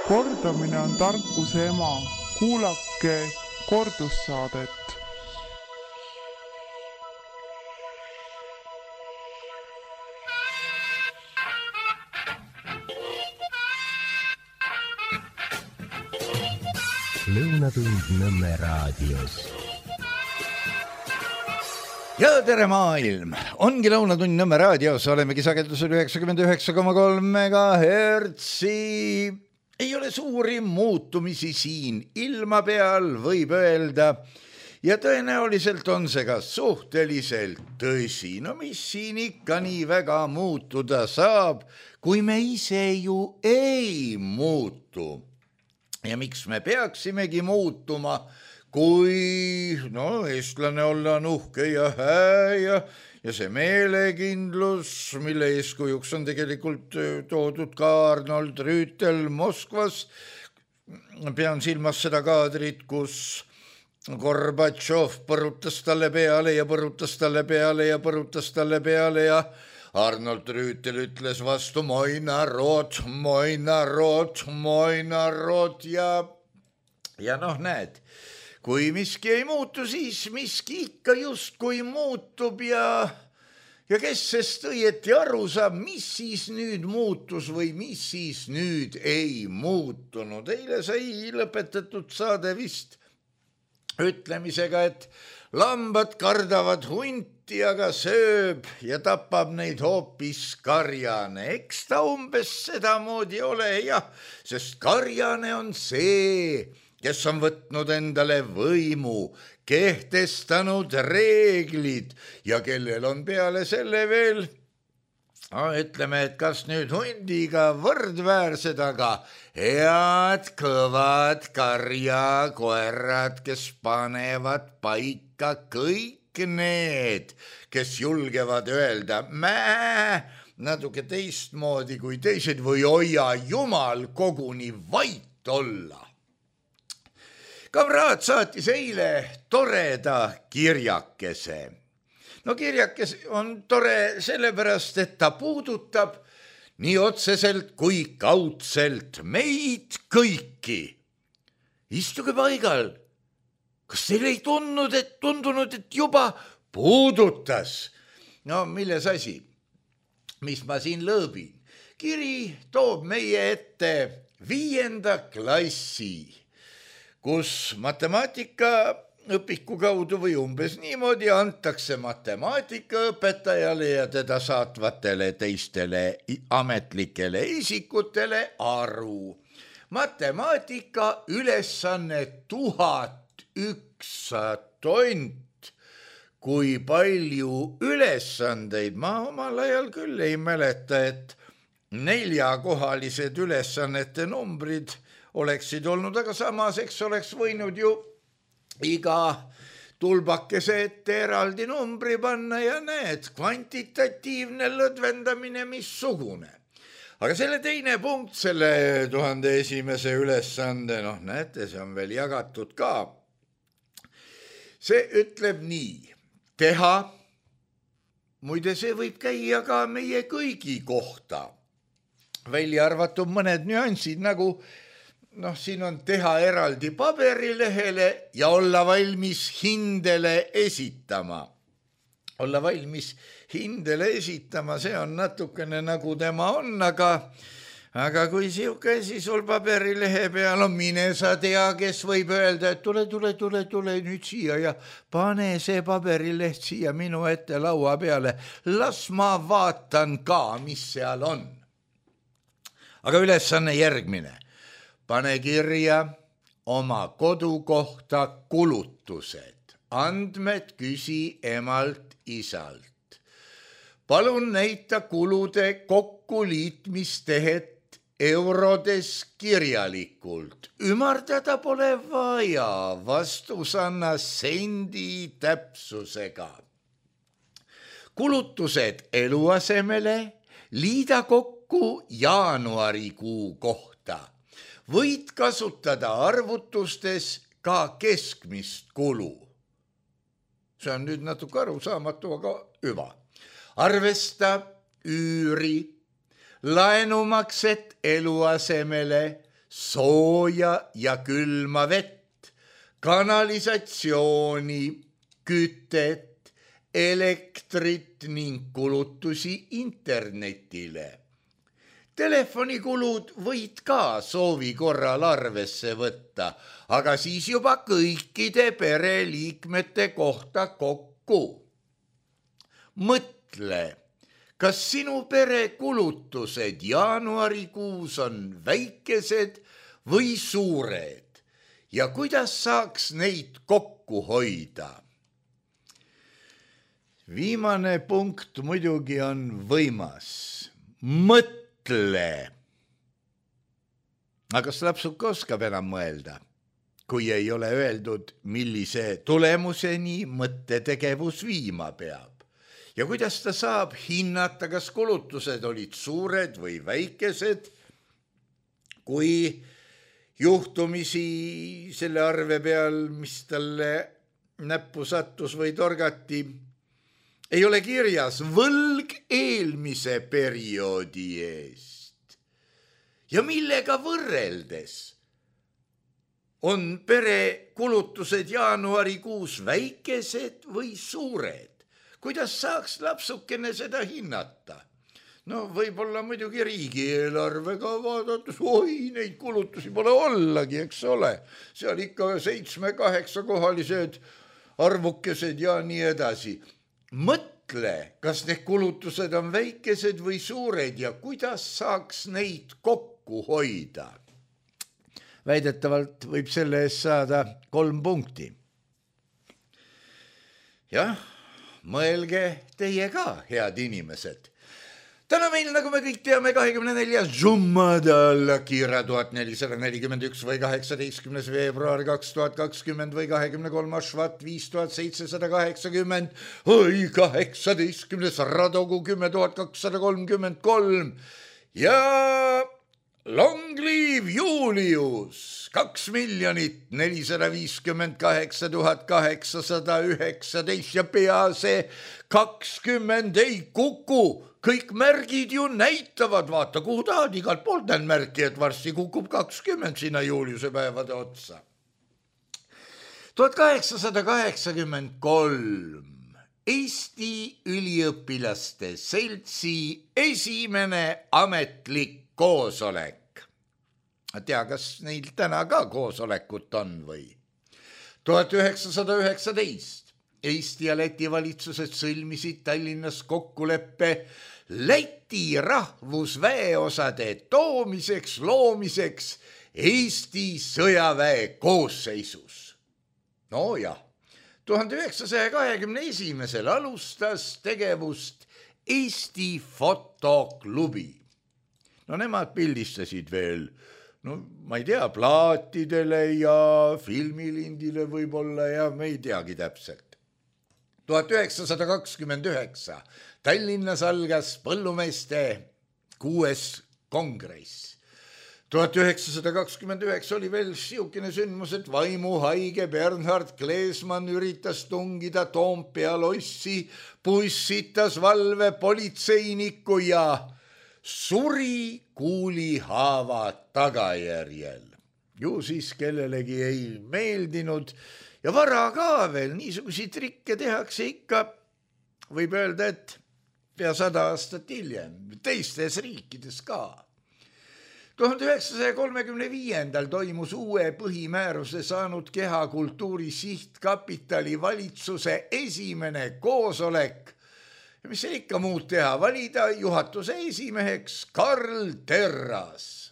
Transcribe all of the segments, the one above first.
Kordamine on tarkuse ema. Kuulake kordussaadet. Lõunatund Nõmme raadios. Ja tere maailm! Ongi Lõunatund Nõmme raadios, olemegi sagedusel 99,3 MHz. Ei ole suuri muutumisi siin ilma peal, võib öelda. Ja tõenäoliselt on see ka suhteliselt tõsi. No mis siin ikka nii väga muutuda saab, kui me ise ju ei muutu. Ja miks me peaksimegi muutuma, kui eestlane olla on uhke ja hää ja see meelekindlus, mille eeskujuks on tegelikult toodud ka Arnold Rüütel Moskvas. Pean silmas seda kaadrit, kus Gorbatšov põrutas talle peale ja põrutas talle peale ja põrutas talle peale ja Arnold Rüütel ütles vastu moi narod ja näed, kui miski ei muutu, siis miski ikka justkui muutub ja kes sest õieti aru saab, mis siis nüüd muutus või mis siis nüüd ei muutunud. Eile sai lõpetatud saade vist ütlemisega, et lambad kardavad hunti, aga sööb ja tapab neid hoopis karjane. Eks ta umbes sedamoodi ole, jah, sest karjane on see, kes on võtnud endale võimu, kehtestanud reeglid ja kellel on peale selle veel, ütleme, et kas nüüd hundiga võrdväärsed, aga head kõvad karjakoerad, kes panevad paika kõik need, kes julgevad öelda natuke teistmoodi kui teised või hoia jumal koguni vait olla. Kamraad saatis eile toreda kirjakese. Kirjakes on tore sellepärast, et ta puudutab nii otseselt kui kaudselt meid kõiki. Istuge paigal. Kas teil ei tundunud, et juba puudutas? Milles asi? Mis ma siin lõõbin? Kiri toob meie ette 5. klassi, kus matemaatika õpiku kaudu või umbes niimoodi antakse matemaatikaõpetajale ja teda saatvatele teistele ametlikele isikutele aru. Matemaatika ülesanne 1001 tont. Kui palju ülesandeid, ma omal ajal küll ei mäleta, et 4-kohalised ülesannete numbrid oleksid olnud, aga samas eks oleks võinud ju iga tulbakese ette eraldi numbri panna ja näed, kvantitatiivne lõdvendamine missugune. Aga selle teine punkt, selle 1001. ülesande, näete, see on veel jagatud ka. See ütleb nii, teha, muide see võib käia ka meie kõigi kohta, välja arvatud mõned nüansid, nagu siin on teha eraldi paberilehele ja olla valmis hindele esitama. Olla valmis hindele esitama, see on natukene nagu tema on, aga kui siuke asi sul paberilehe peal on, mine sa tea, kes võib öelda, et tule nüüd siia ja pane see paberileht siia minu ette laua peale. Las ma vaatan ka, mis seal on. Aga ülesanne järgmine. Pane kirja oma kodu kohta kulutused. Andmed küsi emalt isalt. Palun näita kulude kokkuliitmistehet eurodes kirjalikult. Ümardada pole vaja, vastus anna sendi täpsusega. Kulutused eluasemele liida kokku jaanuarikuu kohta. Võid kasutada arvutustes ka keskmist kulu. See on nüüd natuke arusaamatu, aga hüva. Arvesta üüri, laenumakset eluasemele, sooja ja külma vett, kanalisatsiooni, kütet, elektrit ning kulutusi internetile. Telefonikulud võid ka soovi korral arvesse võtta, aga siis juba kõikide pereliikmete kohta kokku. Mõtle, kas sinu pere kulutused jaanuarikuus on väikesed või suured ja kuidas saaks neid kokku hoida? Viimane punkt muidugi on võimas. Mõtle. Aga kas lapsuke oskab enam mõelda, kui ei ole öeldud, millise tulemuseni mõttetegevus viima peab? Ja kuidas ta saab hinnata, kas kulutused olid suured või väikesed, kui juhtumisi selle arve peal, mis talle näppu sattus või torgati, ei ole kirjas võlg eelmise perioodi eest. Ja millega võrreldes on pere kulutused jaanuarikuus väikesed või suured? Kuidas saaks lapsukene seda hinnata? No võib-olla muidugi riigieelarvega vaadates, neid kulutusi pole ollagi, eks ole. Seal ikka 7-8 kohalised arvukesed ja nii edasi. Mõtle, kas need kulutused on väikesed või suured ja kuidas saaks neid kokku hoida. Väidetavalt võib selle eest saada 3 punkti. Jah, mõelge teie ka, head inimesed. Täna meil, nagu me kõik teame, 24. Jumada Kira 1441 või 18. veebruar 2020 või 23. Švat 5780 või 18. Radogu 10233 ja Long live Julius 2 458 819 ja pea see 20 ei kuku. Kõik märgid ju näitavad, vaata kuhu tahad, igalt poolt näen märki, et varsti kukub 20 sinna Juliuse päevade otsa. 1883 Eesti üliõpilaste seltsi esimene ametlik koosolek. Tea, kas neil täna ka koosolekut on või? 1919 Eesti ja Läti valitsused sõlmisid Tallinnas kokkuleppe Läti rahvusväeosade loomiseks Eesti sõjaväe koosseisus. No jah, 1921 alustas tegevust Eesti fotoklubi. No nemad pildistasid veel, ma ei tea, plaatidele ja filmilindile võib-olla ja me ei teagi täpselt. 1929 Tallinnas algas põllumeeste 6. kongress. 1929 oli veel siukene sündmus, et vaimuhaige Bernhard Kleesmann üritas tungida Toompea lossi, pussitas valve politseiniku ja suri kuulihaava tagajärjel. Ju siis kellelegi ei meeldinud ja vara ka veel, niisuguseid trikke tehakse ikka, võib öelda, et pea 100 aastat hiljem, teistes riikides ka. 1935 toimus uue põhimääruse saanud Kehakultuuri Sihtkapitali valitsuse esimene koosolek. Ja mis see ikka muud teha, valida juhatuse esimeheks Karl Terras.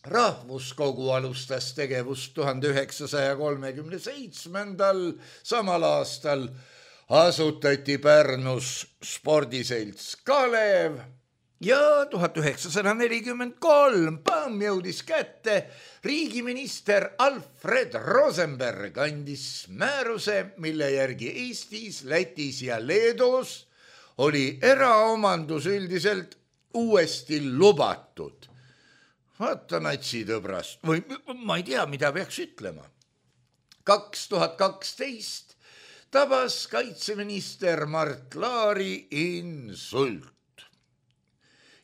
Rahvuskogu alustas tegevust 1937. Samal aastal asutati Pärnus spordiselts Kalev ja 1943 jõudis kätte riigiminister Alfred Rosenberg andis määruse, mille järgi Eestis, Lätis ja Leedus oli eraomandus üldiselt uuesti lubatud. Vaata natsitõbrast, või ma ei tea, mida peaks ütlema. 2012 tabas kaitseminister Mart Laari insult.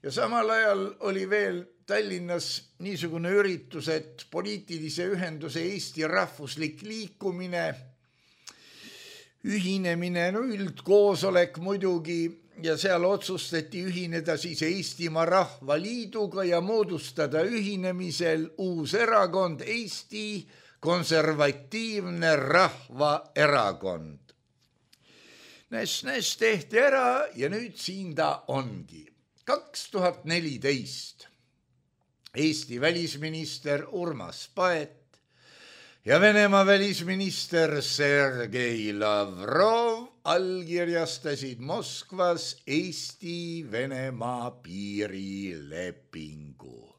Ja samal ajal oli veel Tallinnas niisugune üritus, et poliitilise ühenduse Eesti rahvuslik liikumine, ühinemine, üldkoosolek muidugi, ja seal otsustati ühineda siis Eestimaa Rahvaliiduga ja moodustada ühinemisel uus erakond, Eesti Konservatiivne Rahvaerakond. Näs tehti ära ja nüüd siin ta ongi. 2014 Eesti välisminister Urmas Paet ja Venemaa välisminister Sergei Lavrov allkirjastasid Moskvas Eesti-Venemaa piirilepingu.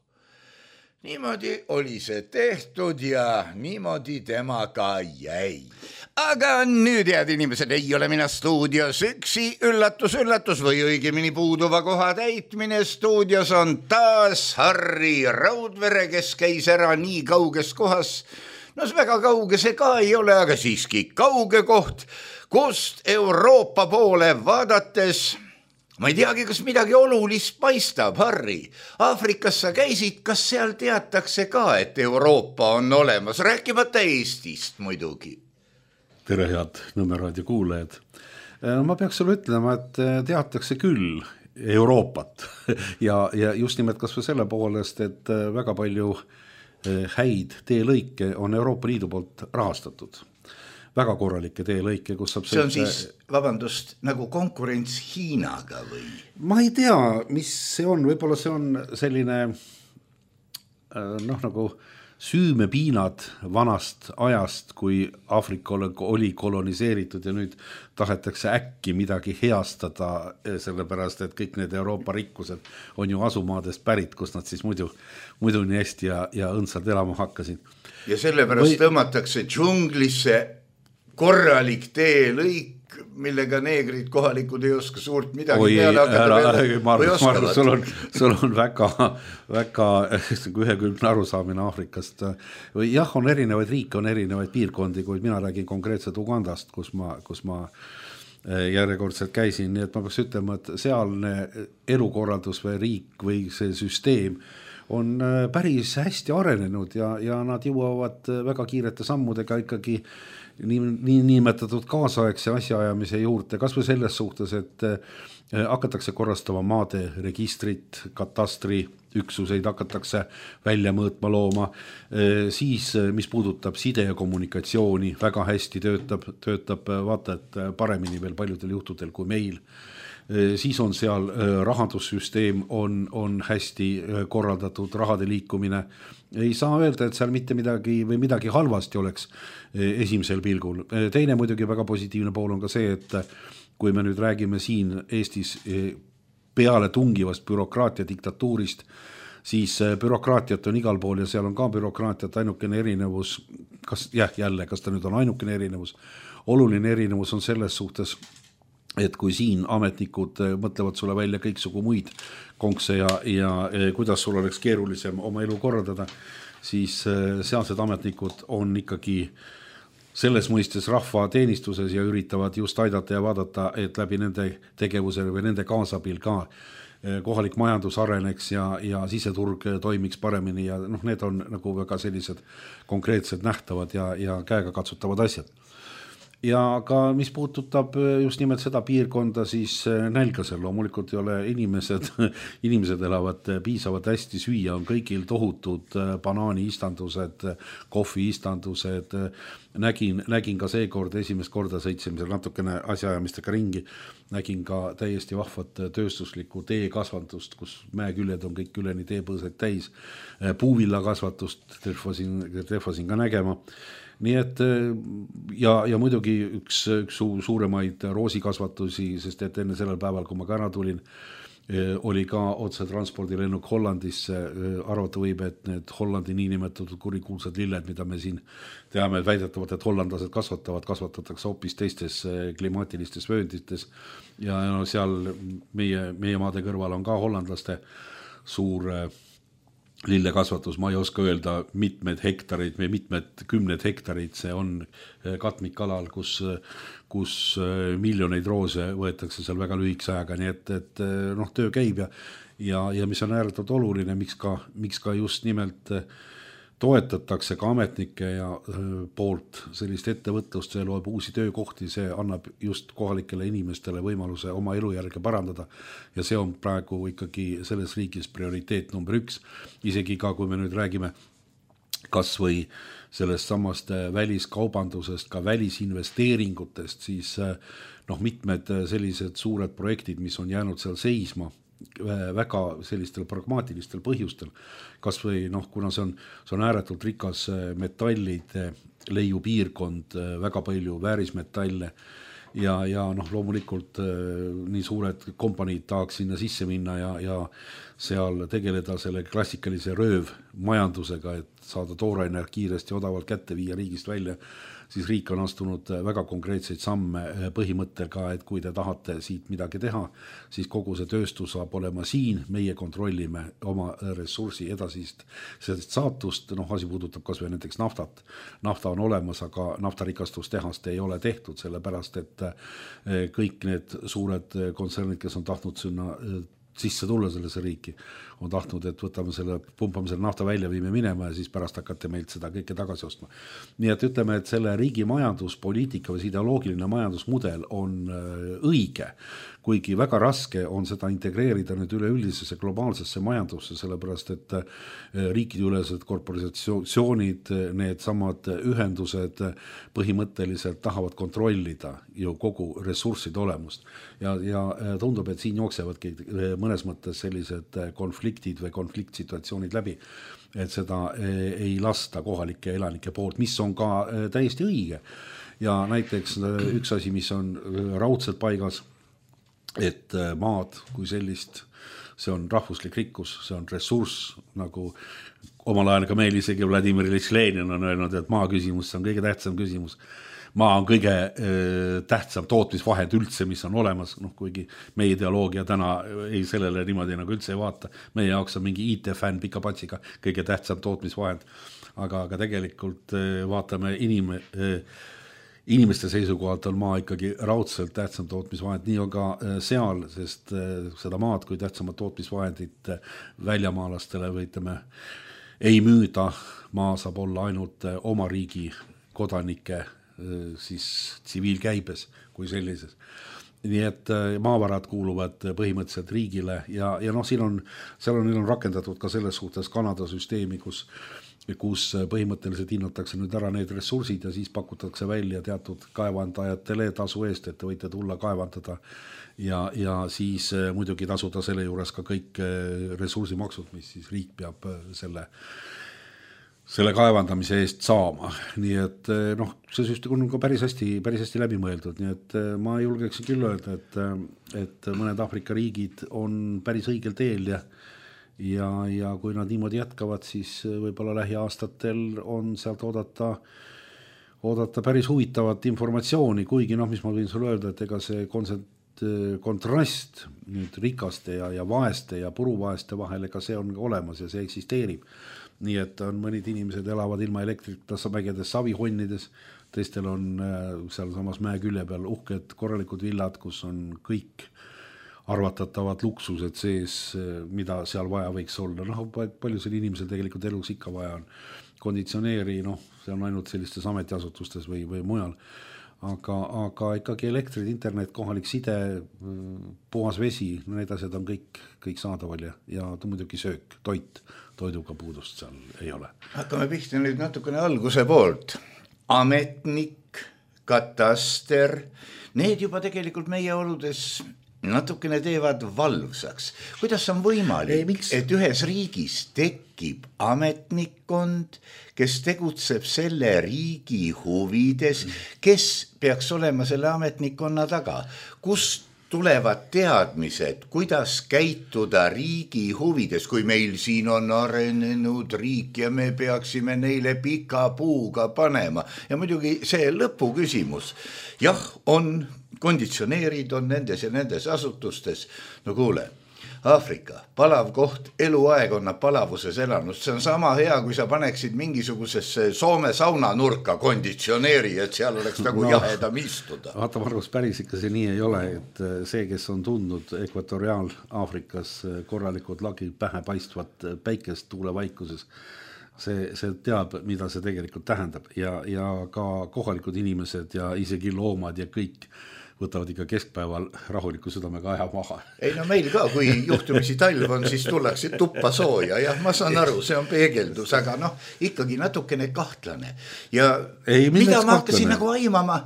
Niimoodi oli see tehtud ja niimoodi temaga jäi. Aga nüüd, head inimesed, ei ole mina stuudios üksi, üllatus või õigemini puuduva koha täitmine. Stuudios on taas Harri Raudvere, kes käis ära nii kauges kohas. No see väga kauge see ka ei ole, aga siiski kauge koht, kust Euroopa poole vaadates, ma ei teagi, kas midagi olulist paistab, Harri. Aafrikas sa käisid, kas seal teatakse ka, et Euroopa on olemas, rääkimata Eestist muidugi? Tere, head Nõmme raadio kuulajad. Ma peaks sulle ütlema, et teatakse küll Euroopat ja just nimelt kas või selle poolest, et väga palju häid teelõike on Euroopa Liidu poolt rahastatud. Väga korralikke teelõike, kus saab... See on siis, vabandust, nagu konkurents Hiinaga või? Ma ei tea, mis see on. Võib-olla see on selline nagu süümepiinad vanast ajast, kui Aafrika oli koloniseeritud ja nüüd tahetakse äkki midagi heastada, sellepärast, et kõik need Euroopa rikkused on ju asumaadest pärit, kus nad siis muidu nii hästi ja õndsalt elama hakkasid. Ja sellepärast tõmmatakse džunglisse korralik teelõik, millega neegrid kohalikud ei oska suurt midagi peale hakata. Sul on väga ühekülgne arusaamine Aafrikast. Jah, on erinevaid riike, on erinevaid piirkondi, kuid mina räägin konkreetselt Ugandast, kus ma järjekordselt käisin, nii et ma peaks ütlema, et sealne elukorraldus või riik või see süsteem on päris hästi arenenud ja nad jõuavad väga kiirete sammudega ikkagi niimetatud kaasaegse asjaajamise juurde, kas või selles suhtes, et hakatakse korrastama maade registrit, katastri üksuseid hakatakse välja mõõtma looma, siis mis puudutab side ja kommunikatsiooni, väga hästi töötab vaata, et paremini veel paljudel juhtudel kui meil. Siis on seal rahandussüsteem on hästi korraldatud, rahade liikumine. Ei saa öelda, et seal mitte midagi halvasti oleks esimesel pilgul. Teine muidugi väga positiivne pool on ka see, et kui me nüüd räägime siin Eestis peale tungivast bürokraatia diktatuurist, siis bürokraatiat on igal pool ja seal on ka bürokraatiat, ainukene erinevus, kas ta nüüd on ainukene erinevus, oluline erinevus on selles suhtes, et kui siin ametnikud mõtlevad sulle välja kõiksugu muid konkse ja kuidas sul oleks keerulisem oma elu korraldada, siis sealsed ametnikud on ikkagi selles mõistes rahva teenistuses ja üritavad just aidata ja vaadata, et läbi nende tegevuse või nende kaasabil ka kohalik majandus areneks ja siseturg toimiks paremini ja need on nagu väga sellised konkreetsed nähtavad ja käega katsutavad asjad. Ja ka mis puudutab just nimelt seda piirkonda, siis nälgasel loomulikult ei ole inimesed elavad piisavalt hästi süüa, on kõigil tohutud banaaniistandused, kohviistandused. Nägin ka seekord esimest korda sõitsime natukene asjaajamistega ringi, nägin ka täiesti vahvat tööstuslikku teekasvatust, kus mäeküljed on kõik üleni teepõõsed täis, puuvilla kasvatust trehvasin ka nägema. Nii et ja muidugi üks suuremaid roosikasvatusi, sest et enne sellel päeval, kui ma ka ära tulin, oli ka otse transpordilennuk Hollandisse. Arvata võib, et need Hollandi niinimetatud kurikuulsad lilled, mida me siin teame, väidetavalt, et hollandlased kasvatatakse hoopis teistes klimaatilistes vööndites ja seal meie maade kõrval on ka hollandlaste suur lillekasvatus, ma ei oska öelda mitmed hektarid või mitmed kümned hektarid, see on katmikalal, kus miljoneid roose võetakse seal väga lühikese ajaga, nii et noh, töö käib ja mis on ääretult oluline, miks ka just nimelt toetatakse ka ametnike ja poolt sellist ettevõtlust, see loeb uusi töökohti, see annab just kohalikele inimestele võimaluse oma elujärge parandada ja see on praegu ikkagi selles riigis prioriteet number 1. Isegi ka, kui me nüüd räägime kas või sellest samast väliskaubandusest, ka välisinvesteeringutest, siis noh, mitmed sellised suured projektid, mis on jäänud seal seisma, väga sellistel pragmaatilistel põhjustel, kas või noh, kuna see on ääretult rikas metallide leiupiirkond, väga palju väärismetalle ja noh, loomulikult nii suured kompaniid tahaks sinna sisse minna ja seal tegeleda selle klassikalise röövmajandusega, et saada tooraine kiiresti odavalt kätte viia riigist välja, siis riik on astunud väga konkreetseid samme põhimõttega, et kui te tahate siit midagi teha, siis kogu see tööstus saab olema siin, meie kontrollime oma ressursi edasist saatust, noh, asi puudutab kas või näiteks naftat. Nafta on olemas, aga naftarikastustehast ei ole tehtud, sellepärast et kõik need suured kontsernid, kes on tahtnud sinna sisse tulla sellesse riiki, on tahtnud, et pumpame selle nafta välja, viime minema ja siis pärast hakkate meilt seda kõike tagasi ostma. Nii et ütleme, et selle riigi majanduspoliitika või ideoloogiline majandusmudel on õige, kuigi väga raske on seda integreerida nüüd üleüldisesse globaalsesse majandusse, sellepärast et riikideülesed korporatsioonid, need samad ühendused põhimõtteliselt tahavad kontrollida ju kogu ressursside olemust ja tundub, et siin jooksevadki mõnes mõttes sellised konfliktid või konfliktsituatsioonid läbi, et seda ei lasta kohalike elanike poolt, mis on ka täiesti õige. Ja näiteks üks asi, mis on raudselt paigas, et maad kui sellist, see on rahvuslik rikkus, see on ressurss, nagu omal ajal ka meil isegi Vladimir Iljitš Lenin on öelnud, et maa küsimus, see on kõige tähtsam küsimus. Maa on kõige tähtsam tootmisvahend üldse, mis on olemas, noh, kuigi meie ideoloogia täna ei sellele niimoodi nagu üldse ei vaata. Meie jaoks on mingi IT-fänn pika patsiga kõige tähtsam tootmisvahend, aga tegelikult vaatame inimeste seisukohalt on maa ikkagi raudselt tähtsam tootmisvahend, nii on ka seal, sest seda maad kui tähtsamat tootmisvahendit väljamaalastele või ütleme, ei müüda, maa saab olla ainult oma riigi kodanike siis tsiviilkäibes kui sellises. Nii et maavarad kuuluvad põhimõtteliselt riigile ja noh, seal on rakendatud ka selles suhtes Kanada süsteemi, kus põhimõtteliselt hinnatakse nüüd ära need ressursid ja siis pakutakse välja teatud kaevandajatele tasu eest, et te võite tulla kaevandada ja siis muidugi tasuda selle juures ka kõik ressursimaksud, mis siis riik peab selle kaevandamise eest saama. Nii et noh, see süsteem on ka päris hästi läbi mõeldud, nii et ma julgeksin küll öelda, et mõned Aafrika riigid on päris õigel teel ja kui nad niimoodi jätkavad, siis võib-olla lähiaastatel on sealt oodata päris huvitavat informatsiooni, kuigi noh, mis ma võin sulle öelda, et ega see kontrast nüüd rikaste ja vaeste ja puruvaeste vahel, ega see on olemas ja see eksisteerib. Nii et on mõnid inimesed elavad ilma elektrita mägedes savihonnides, teistel on seal samas mäe külje peal uhked korralikud villad, kus on kõik arvatatavad luksused sees, mida seal vaja võiks olla. Noh, palju seal inimesel tegelikult elus ikka vaja on. Konditsioneeri, noh, see on ainult sellistes ametiasutustes või mujal. Aga ikkagi elektrid, internet, kohalik side, puhas vesi, need asjad on kõik saadaval ja muidugi söök, toiduga puudust seal ei ole. Hakkame pihta nüüd natukene alguse poolt. Ametnik, kataster, need juba tegelikult meie oludes natukene teevad valvsaks. Kuidas on võimalik, et ühes riigis tekib ametnikkond, kes tegutseb selle riigi huvides, kes peaks olema selle ametnikkonna taga? Kust tulevad teadmised, kuidas käituda riigi huvides, kui meil siin on arenenud riik ja me peaksime neile pika puuga panema? Ja muidugi see lõpu küsimus. Jah, on konditsioneerid on nendes ja nendes asutustes. No kuule, Aafrika, palav koht, eluaeg on palavuses elanud, see on sama hea, kui sa paneksid mingisugusesse Soome saunanurka konditsioneeri, et seal oleks nagu jahedam istuda. Vaata, Margus, päris ikka see nii ei ole, et see, kes on tundnud Ekvatoriaal-Aafrikas korralikud lagi pähe paistvat päikest tuulevaikuses, see teab, mida see tegelikult tähendab ja ka kohalikud inimesed ja isegi loomad ja kõik võtavad ikka keskpäeval rahuliku südamega aja maha. Ei no meil ka, kui juhtumisi talv on, siis tullakse tuppa sooja. Jah, ma saan aru, see on peegeldus, aga ikkagi natukene kahtlane. Ja mida ma hakkasin nagu aimama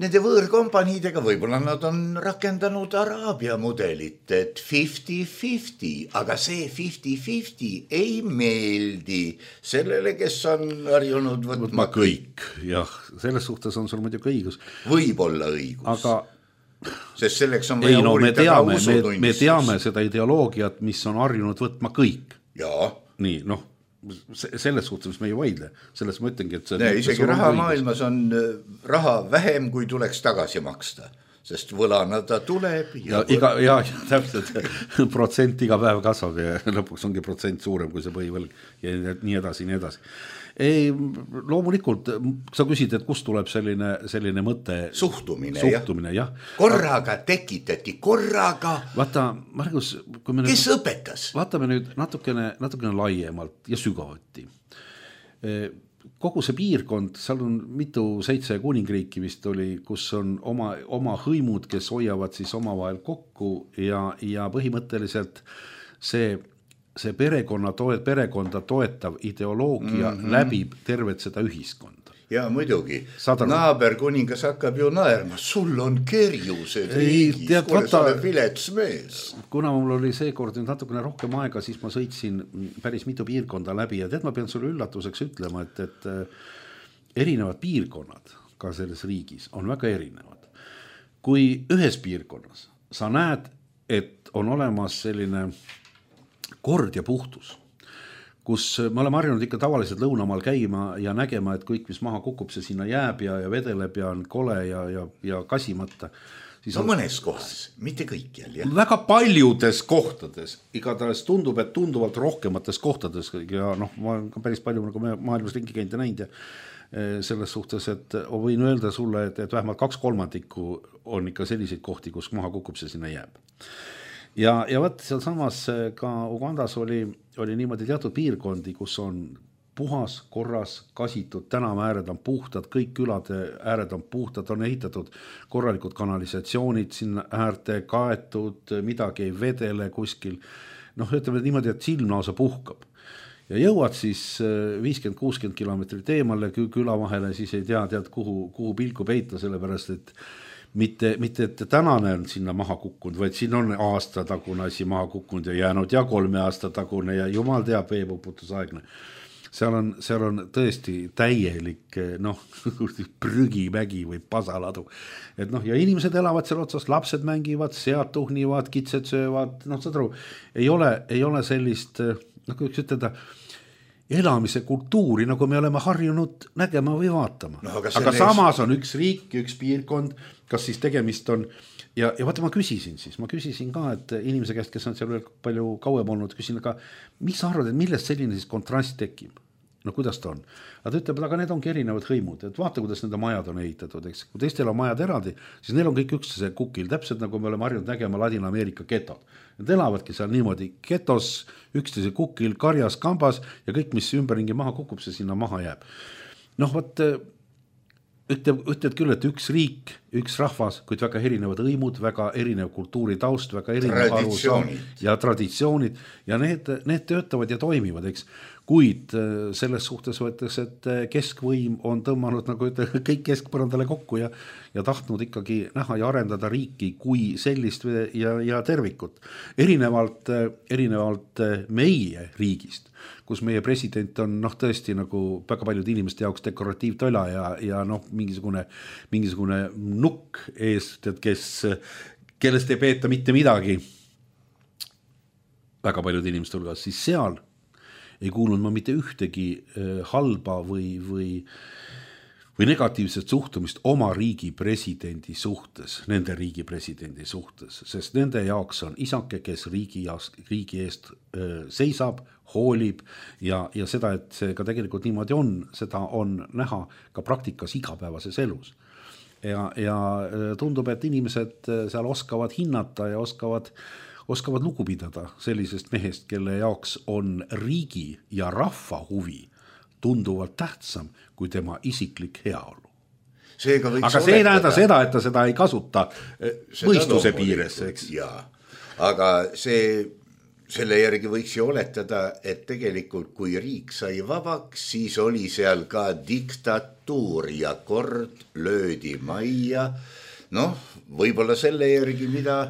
nende võõrkompaniidega, võib-olla nad on rakendanud Araabia mudelit, et 50-50, aga see 50-50 ei meeldi sellele, kes on harjunud võtma kõik. Jah, selles suhtes on sul muidugi õigus. Võib-olla õigus. Aga sest selleks on vaja uuritada usutunnistus. Me teame seda ideoloogiat, mis on harjunud võtma kõik. Jaa. Nii, selles suhtes me ei vaidle. Selles ma ütlengi, et isegi raha maailmas on raha vähem, kui tuleks tagasi maksta. Sest võlana ta tuleb. Ja täpselt, protsent iga päev kasvab ja lõpuks ongi protsent suurem kui see põhivõlg ja nii edasi, nii edasi. Ei, loomulikult, sa küsid, et kust tuleb selline mõte? Suhtumine, jah. Korraga tekitati, Vaata, Margus, kes õpetas? Vaatame nüüd natukene laiemalt ja sügavuti. Kogu see piirkond, seal on 7 kuningriiki vist oli, kus on oma hõimud, kes hoiavad siis omavahel kokku ja põhimõtteliselt see perekonda toetav ideoloogia läbib tervet seda ühiskonda. Ja muidugi, naaber kuningas hakkab ju naerma, sul on kerjused riigis, kuule sa oled vilets mees. Kuna mul oli seekord natukene rohkem aega, siis ma sõitsin päris mitu piirkonda läbi ja ma pean sulle üllatuseks ütlema, et erinevad piirkonnad ka selles riigis on väga erinevad. Kui ühes piirkonnas sa näed, et on olemas selline kord ja puhtus, kus me oleme harjunud ikka tavaliselt lõunamaal käima ja nägema, et kõik, mis maha kukub, see sinna jääb ja vedeleb ja on kole ja kasimata. Mõnes kohas, mitte kõikjal. Väga paljudes kohtades, igatahes tundub, et tunduvalt rohkemates kohtades ja ma olen päris palju nagu maailmas ringi käinud ja näinud ja selles suhtes, et võin öelda sulle, et vähemalt 2/3 on ikka selliseid kohti, kus maha kukub, see sinna jääb. Ja võt seal samas ka Ugandas oli niimoodi teatud piirkondi, kus on puhas, korras, kasitud, tänava ääred on puhtad, kõik külade ääred on puhtad, on ehitatud korralikud kanalisatsioonid sinna äärte, kaetud, midagi ei vedele kuskil. Ütleme niimoodi, et silm lausa puhkab. Ja jõuad siis 50-60 kilomeetrit eemale küla vahele, siis ei tead kuhu pilku peita, sellepärast, et mitte, et tänane on sinna maha kukkunud, vaid siin on aasta tagune asi maha kukkunud ja jäänud ja 3 aasta tagune ja jumal teab veepuputusaegne. Seal on tõesti täielik prügimägi või pasaladu. Ja inimesed elavad seal otsas, lapsed mängivad, sead tuhnivad, kitsed söövad, saad aru, ei ole sellist, kuidas ütelda, elamise kultuuri, nagu me oleme harjunud nägema või vaatama. Aga samas on üks riik, üks piirkond, kas siis tegemist on, ja vaata ma küsisin ka, et inimese käest, kes on seal veel palju kauem olnud, küsin, aga mis sa arvad, et millest selline siis kontrast tekib? Kuidas ta on? Aga ta ütleb, aga need ongi erinevad hõimud, et vaata, kuidas nende majad on ehitatud, eks. Kui teistel on majad eraldi, siis neil on kõik üksteise kukil, täpselt nagu me oleme harjunud nägema Ladina-Ameerika getod. Need elavadki seal niimoodi getos, üksteise kukil, karjas, kambas ja kõik, mis ümberringi maha kukub, see sinna maha jääb. Ütled küll, et üks riik, üks rahvas, kuid väga erinevad hõimud, väga erinev kultuuritaust, väga erinev ja traditsioonid ja need töötavad ja toimivad, eks. Kuid selles suhtes võttes, et keskvõim on tõmmanud nagu kõik keskpõrandale kokku ja tahtnud ikkagi näha ja arendada riiki kui sellist ja tervikut. Erinevalt meie riigist, kus meie president on tõesti nagu väga paljud inimeste jaoks dekoratiivtola ja mingisugune nukk eest, et kellest ei peeta mitte midagi väga paljud inimeste hulgas, siis seal ei kuulnud ma mitte ühtegi halba või või negatiivset suhtumist oma riigi presidendi suhtes, nende riigi presidendi suhtes, sest nende jaoks on isake, kes riigi eest seisab, hoolib ja seda, et see ka tegelikult niimoodi on, seda on näha ka praktikas igapäevases elus. Ja tundub, et inimesed seal oskavad hinnata ja oskavad lugu pidada sellisest mehest, kelle jaoks on riigi ja rahva huvi tunduvalt tähtsam kui tema isiklik heaolu. Aga see ei näeda seda, et ta seda ei kasuta mõistuse piires, eks? Jaa, aga selle järgi võiks ju oletada, et tegelikult kui riik sai vabaks, siis oli seal ka diktatuur ja kord löödi majja. Võib-olla selle järgi, mida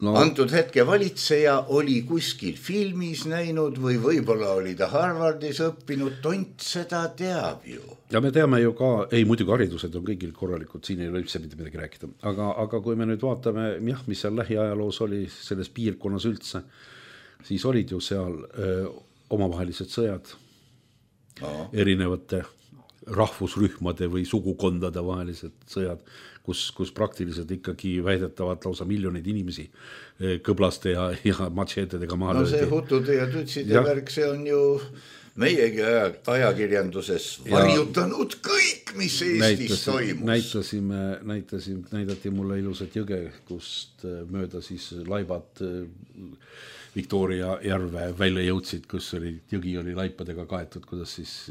antud hetke valitseja oli kuskil filmis näinud või võib-olla oli ta Harvardis õppinud, tont seda teab ju. Ja me teame ju ka, muidugi haridused on kõigil korralikud, siin ei ole üldse mitte midagi rääkida, aga kui me nüüd vaatame, mis seal lähiajaloos oli selles piirkonnas üldse, siis olid ju seal omavahelised sõjad erinevate rahvusrühmade või sugukondade vahelised sõjad, kus praktiliselt ikkagi väidetavad lausa miljoneid inimesi kõblaste ja matšeetedega maha löödi. See hutude ja tutside värk, see on ju meiegi ajakirjanduses varjutanud kõik, mis Eestis toimus. Näidati mulle ilusat jõge, kust mööda siis laibad Victoria järve välja jõudsid, kus jõgi oli laipadega kaetud, kuidas siis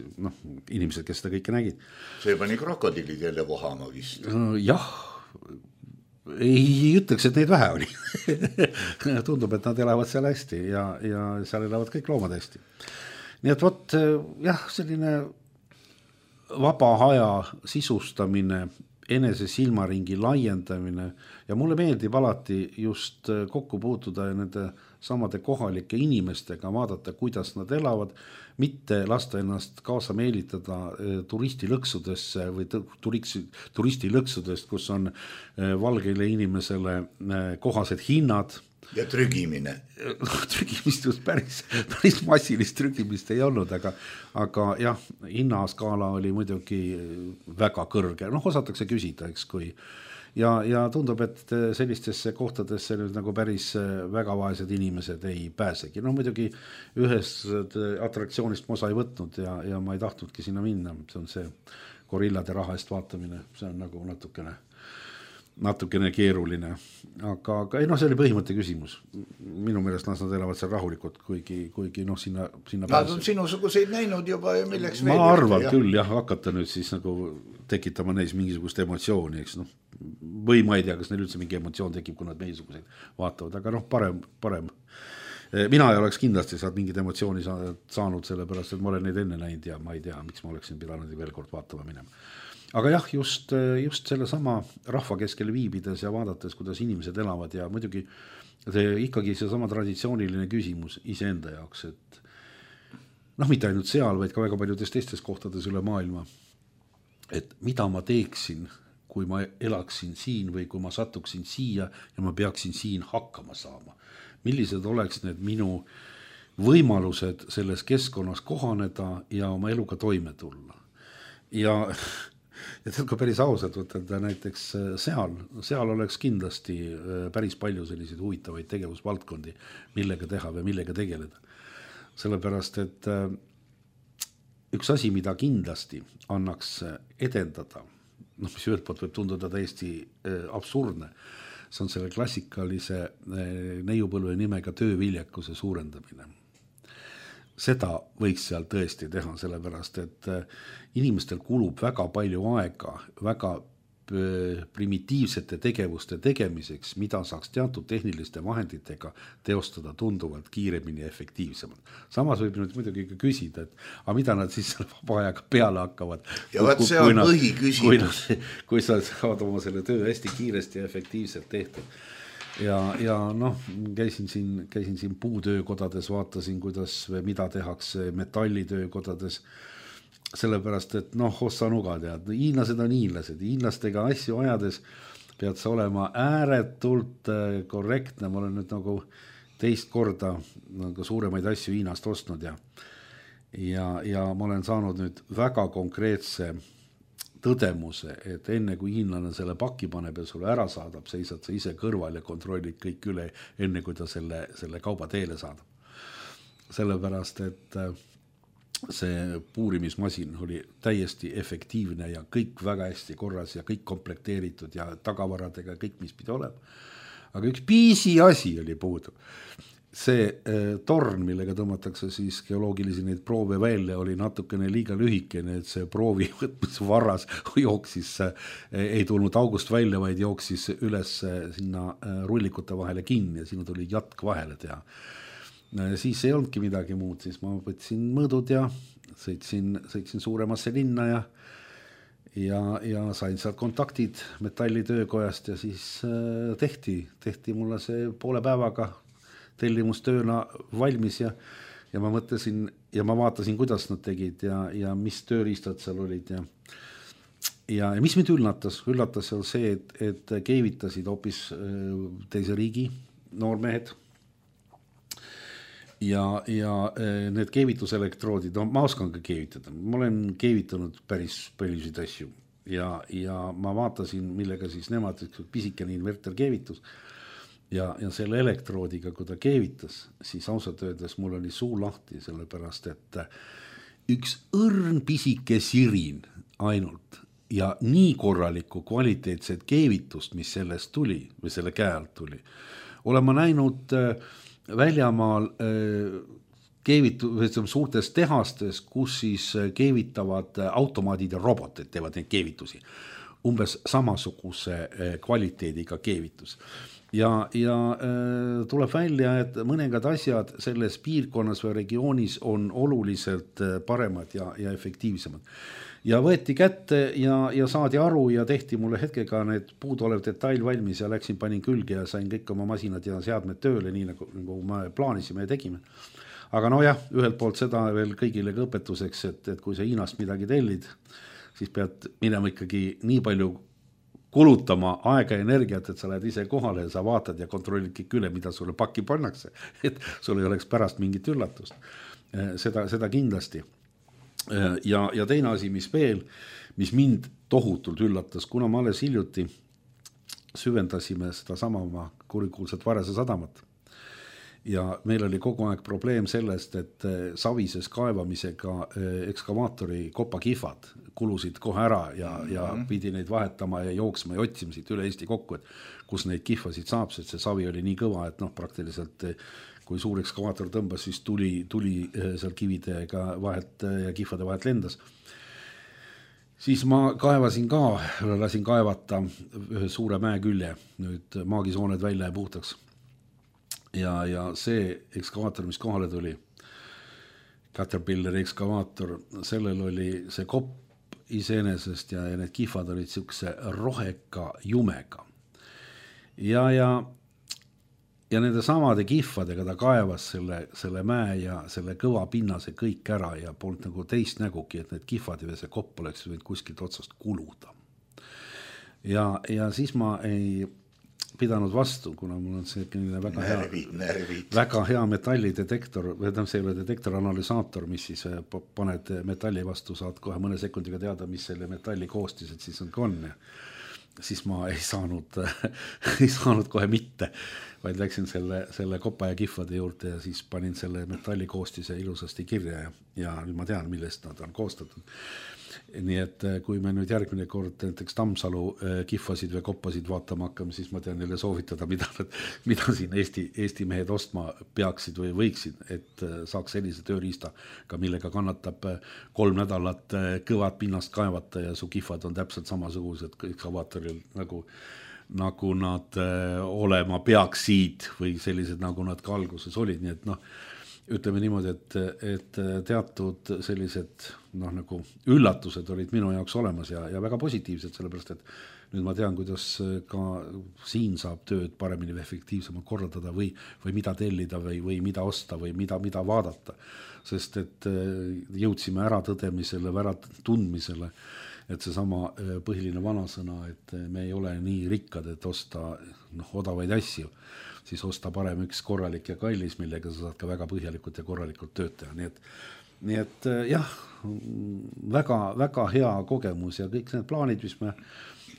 inimesed, kes seda kõike nägid. See pani krokodillid jälle vohama vist. Jah, ei ütleks, et neid vähe oli. Tundub, et nad elavad seal hästi ja seal elavad kõik loomad hästi. Nii et selline vaba aja sisustamine, enese silmaringi laiendamine ja mulle meeldib alati just kokku puutuda ja nende samade kohalike inimestega, vaadata, kuidas nad elavad, mitte lasta ennast kaasa meelitada turistilõksudesse või turistilõksudest, kus on valgeile inimesele kohased hinnad. Ja trügimine. Trügimist just päris massilist trügimist ei olnud, aga jah, hinnaskaala oli muidugi väga kõrge. Osatakse küsida, eks kui. Ja tundub, et sellistesse kohtadesse nüüd nagu päris väga vaesed inimesed ei pääsegi. Muidugi ühest atraktsioonist ma osa ei võtnud ja ma ei tahtnudki sinna minna. See on see gorillade raha eest vaatamine. See on nagu natukene keeruline. Aga see oli põhimõtte küsimus. Minu meelest nad elavad seal rahulikult, kuigi sinna nad on sinusuguseid näinud juba ja milleks ma arvan küll, hakata nüüd siis nagu tekitama neis mingisugust emotsiooni, eks või ma ei tea, kas neil üldse mingi emotsioon tekib, kui nad meisuguseid vaatavad, aga parem. Mina ei oleks kindlasti saad mingid emotsiooni saanud, sellepärast, et ma olen neid enne näinud ja ma ei tea, miks ma oleksin pidanud veel kord vaatama minema. Aga jah, just selle sama rahva keskel viibides ja vaadates, kuidas inimesed elavad ja muidugi ikkagi see sama traditsiooniline küsimus iseenda jaoks, et mitte ainult seal, vaid ka väga paljudes teistes kohtades üle maailma, et mida ma teeksin, kui ma elaksin siin või kui ma satuksin siia ja ma peaksin siin hakkama saama. Millised oleks need minu võimalused selles keskkonnas kohaneda ja oma eluga toime tulla. Ja kui päris ausalt võtta näiteks seal oleks kindlasti päris palju selliseid huvitavaid tegevusvaldkondi, millega teha või millega tegeleda. Sellepärast, et üks asi, mida kindlasti annaks edendada, mis ühelt poolt võib tunduda täiesti absurdne, see on selle klassikalise neiupõlve nimega tööviljakuse suurendamine. Seda võiks seal tõesti teha, sellepärast, et inimestel kulub väga palju aega, väga primitiivsete tegevuste tegemiseks, mida saaks teatud tehniliste vahenditega teostada tunduvalt kiiremini ja efektiivsemalt. Samas võib nüüd muidugi küsida, et aga mida nad siis selle vaba ajaga peale hakkavad. Ja see on põhiküsimus. Kui sa saad oma selle töö hästi kiiresti ja efektiivselt tehtud. Ja käisin siin puutöökodades, vaatasin, kuidas või mida tehakse metallitöökodades, sellepärast, et ossa nuga tead, hiinlased on hiinlased, hiinlastega asju ajades pead sa olema ääretult korrektne, ma olen nüüd nagu teist korda nagu suuremaid asju Hiinast ostnud ja ma olen saanud nüüd väga konkreetse tõdemuse, et enne kui hiinlane selle paki paneb ja sulle ära saadab, seisad sa ise kõrval ja kontrollid kõik üle, enne kui ta selle kauba teele saadab. Sellepärast, et see puurimismasin oli täiesti efektiivne ja kõik väga hästi korras ja kõik komplekteeritud ja tagavaradega kõik, mis pidi olema. Aga üks piisi asi oli puudu. See torn, millega tõmmatakse siis geoloogilisi neid proove välja, oli natukene liiga lühikene, et see proovi võtmisvarras jooksis, ei tulnud august välja, vaid jooksis üles sinna rullikute vahele kinni ja sinna tuli jatk vahele teha. Siis ei olnudki midagi muud, siis ma võtsin mõõdud ja sõitsin suuremasse linna ja sain sealt kontaktid metallitöökojast ja siis tehti mulle see poole päevaga tellimustööna valmis ja ma mõtlesin ja ma vaatasin, kuidas nad tegid ja mis tööriistad seal olid ja mis mind üllatas seal see, et keevitasid hoopis teise riigi noormehed ja need keevituselektroodid, no ma oskan ka keevitada, ma olen keevitanud päris paljusid asju ja ma vaatasin, millega siis nemad, pisikene inverter keevitus ja selle elektroodiga, kui ta keevitas, siis ausalt öeldes mul oli suu lahti, sellepärast, et üks õrn pisike sirin ainult ja nii korralikku kvaliteetset keevitust, mis sellest tuli või selle käe alt tuli, olen ma näinud väljamaal suurtes tehastes, kus siis keevitavad automaadid ja robotid teevad neid keevitusi. Umbes samasuguse kvaliteediga keevitus. Ja tuleb välja, et mõningad asjad selles piirkonnas või regioonis on oluliselt paremad ja efektiivsemad. Ja võeti kätte ja saadi aru ja tehti mulle hetkega need puuduolev detail valmis ja läksin, panin külge ja sain kõik oma masinad ja seadmed tööle, nii nagu me plaanisime ja tegime. Aga jah, ühelt poolt seda veel kõigile ka õpetuseks, et kui sa Hiinast midagi tellid, siis pead minema ikkagi nii palju kulutama aega ja energiat, et sa lähed ise kohale ja sa vaatad ja kontrollid kõik üle, mida sulle pakki pannakse, et sul ei oleks pärast mingit üllatust. Seda kindlasti. Ja teine asi, mis mind tohutult üllatas, kuna ma alles hiljuti süvendasime seda sama oma kurikuulsat Varese sadamat. Ja meil oli kogu aeg probleem sellest, et savises kaevamisega ekskavaatori kopakihvad kulusid kohe ära ja pidi neid vahetama ja jooksma ja otsima siit üle Eesti kokku, et kus neid kihvasid saab, sest see savi oli nii kõva, et praktiliselt kui suur ekskavaator tõmbas, siis tuli seal kividega vahet ja kihvade vahet lendas. Siis ma kaevasin ka, lasin kaevata ühe suure mäe külje, nüüd maagisooned välja ja puhtaks. Ja see ekskavaator, mis kohale tuli, Caterpillari ekskavaator, sellel oli see kopp iseenesest ja need kihvad olid siukse roheka jumega. Ja nende samade kihvadega ta kaevas selle mäe ja selle kõva pinnase kõik ära ja polnud nagu teist nägugi, et need kihvad ja see kopp oleks võinud kuskilt otsast kuluda. Ja siis ma ei pidanud vastu, kuna mul on see väga hea metallidetektor, see ei ole detektoranalüsaator, mis siis paned metalli vastu, saad kohe mõne sekundiga teada, mis selle metalli koostised siis on. Siis ma ei saanud kohe mitte, vaid läksin selle kopa ja kihvade juurde ja siis panin selle metalli koostise ilusasti kirja ja nüüd ma tean, millest nad on koostatud. Nii et kui me nüüd järgmine kord näiteks Tammsalu kihvasid või koppasid vaatama hakkame, siis ma tean neile soovitada, mida siin Eesti mehed ostma peaksid või võiksid, et saaks sellise tööriista, ka millega kannatab 3 nädalat kõvad pinnast kaevata ja su kihvad on täpselt samasugused ekskavaatoril nagu nad olema peaksid või sellised, nagu nad ka alguses olid, nii et ütleme niimoodi, et teatud sellised nagu üllatused olid minu jaoks olemas ja väga positiivsed, sellepärast, et nüüd ma tean, kuidas ka siin saab tööd paremini või efektiivsemalt korraldada või mida tellida või mida osta või mida vaadata. Sest et jõudsime ära tõdemisele, ära tundmisele, et see sama põhiline vanasõna, et me ei ole nii rikkad, et osta odavaid asju, siis osta parem üks korralik ja kallis, millega sa saad ka väga põhjalikult ja korralikult tööd teha. Nii et nii et jah, väga hea kogemus ja kõik need plaanid, mis me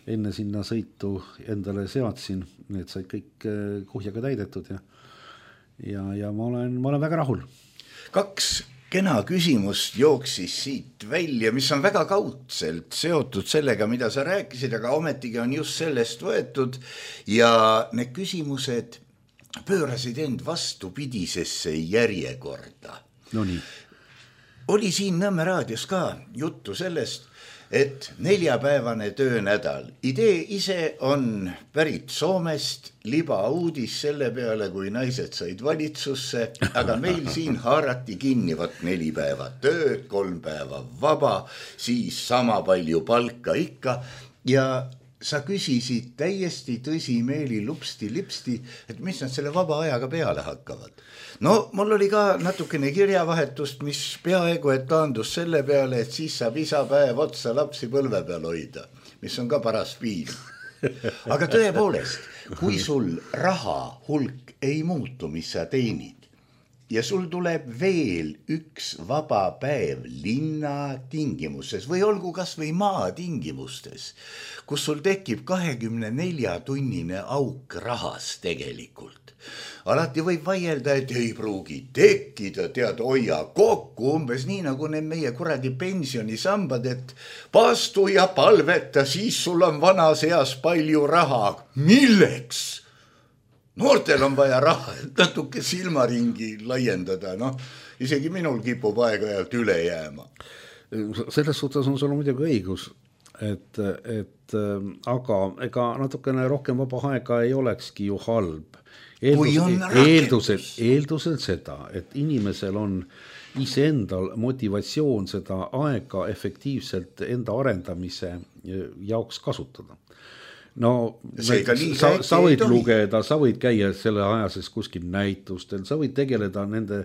enne sinna sõitu endale seadsin, need said kõik kuhjaga täidetud ja ma olen väga rahul. 2 kena küsimust jooksis siit välja, mis on väga kaudselt seotud sellega, mida sa rääkisid, aga ometigi on just sellest võetud ja need küsimused pöörasid end vastupidisesse järjekorda. No nii. Oli siin Nõmme raadios ka juttu sellest, et 4-päevane töönädal. Idee ise on pärit Soomest, libauudis selle peale, kui naised said valitsusse, aga meil siin haarati kinni 4 päeva tööd, 3 päeva vaba, siis sama palju palka ikka ja sa küsisid täiesti tõsimeeli lupsti-lipsti, et mis nad selle vaba ajaga peale hakkavad. No mul oli ka natukene kirjavahetust, mis peaaegu et taandus selle peale, et siis saab isa päev otsa lapsi põlve peal hoida, mis on ka paras piin. Aga tõepoolest, kui sul raha hulk ei muutu, mis sa teenid, ja sul tuleb veel 1 vaba päev linna tingimustes või olgu kas või maa tingimustes, kus sul tekib 24-tunnine auk rahas tegelikult. Alati võib vaielda, et ei pruugi tekkida, tead, hoia kokku, umbes nii nagu need meie kuradi pensionisambad, et pastu ja palveta, siis sul on vanas eas palju raha. Milleks? Noortel on vaja raha, et natuke silmaringi laiendada, isegi minul kipub aeg-ajalt üle jääma. Selles suhtes on sul muidugi õigus, et aga ega natukene rohkem vaba aega ei olekski ju halb. Eeldusel seda, et inimesel on iseendal motivatsioon seda aega efektiivselt enda arendamise jaoks kasutada. No, sa võid lugeda, sa võid käia selle ajases kuskil näitustel, sa võid tegeleda nende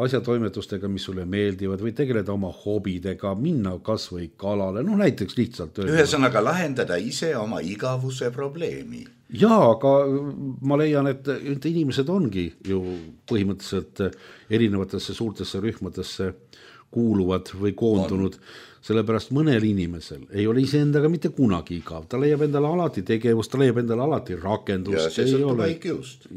asjatoimetustega, mis sulle meeldivad, või tegeleda oma hobidega, minna kas või kalale, näiteks lihtsalt. Ühesõnaga lahendada ise oma igavuse probleemi. Jaa, aga ma leian, et inimesed ongi ju põhimõtteliselt erinevatesse suurtesse rühmadesse kuuluvad või koondunud, sellepärast mõnel inimesel ei ole iseendaga mitte kunagi igav, ta leiab endale alati tegevust, ta leiab endale alati rakendust. Ja see sõltub IQ-st,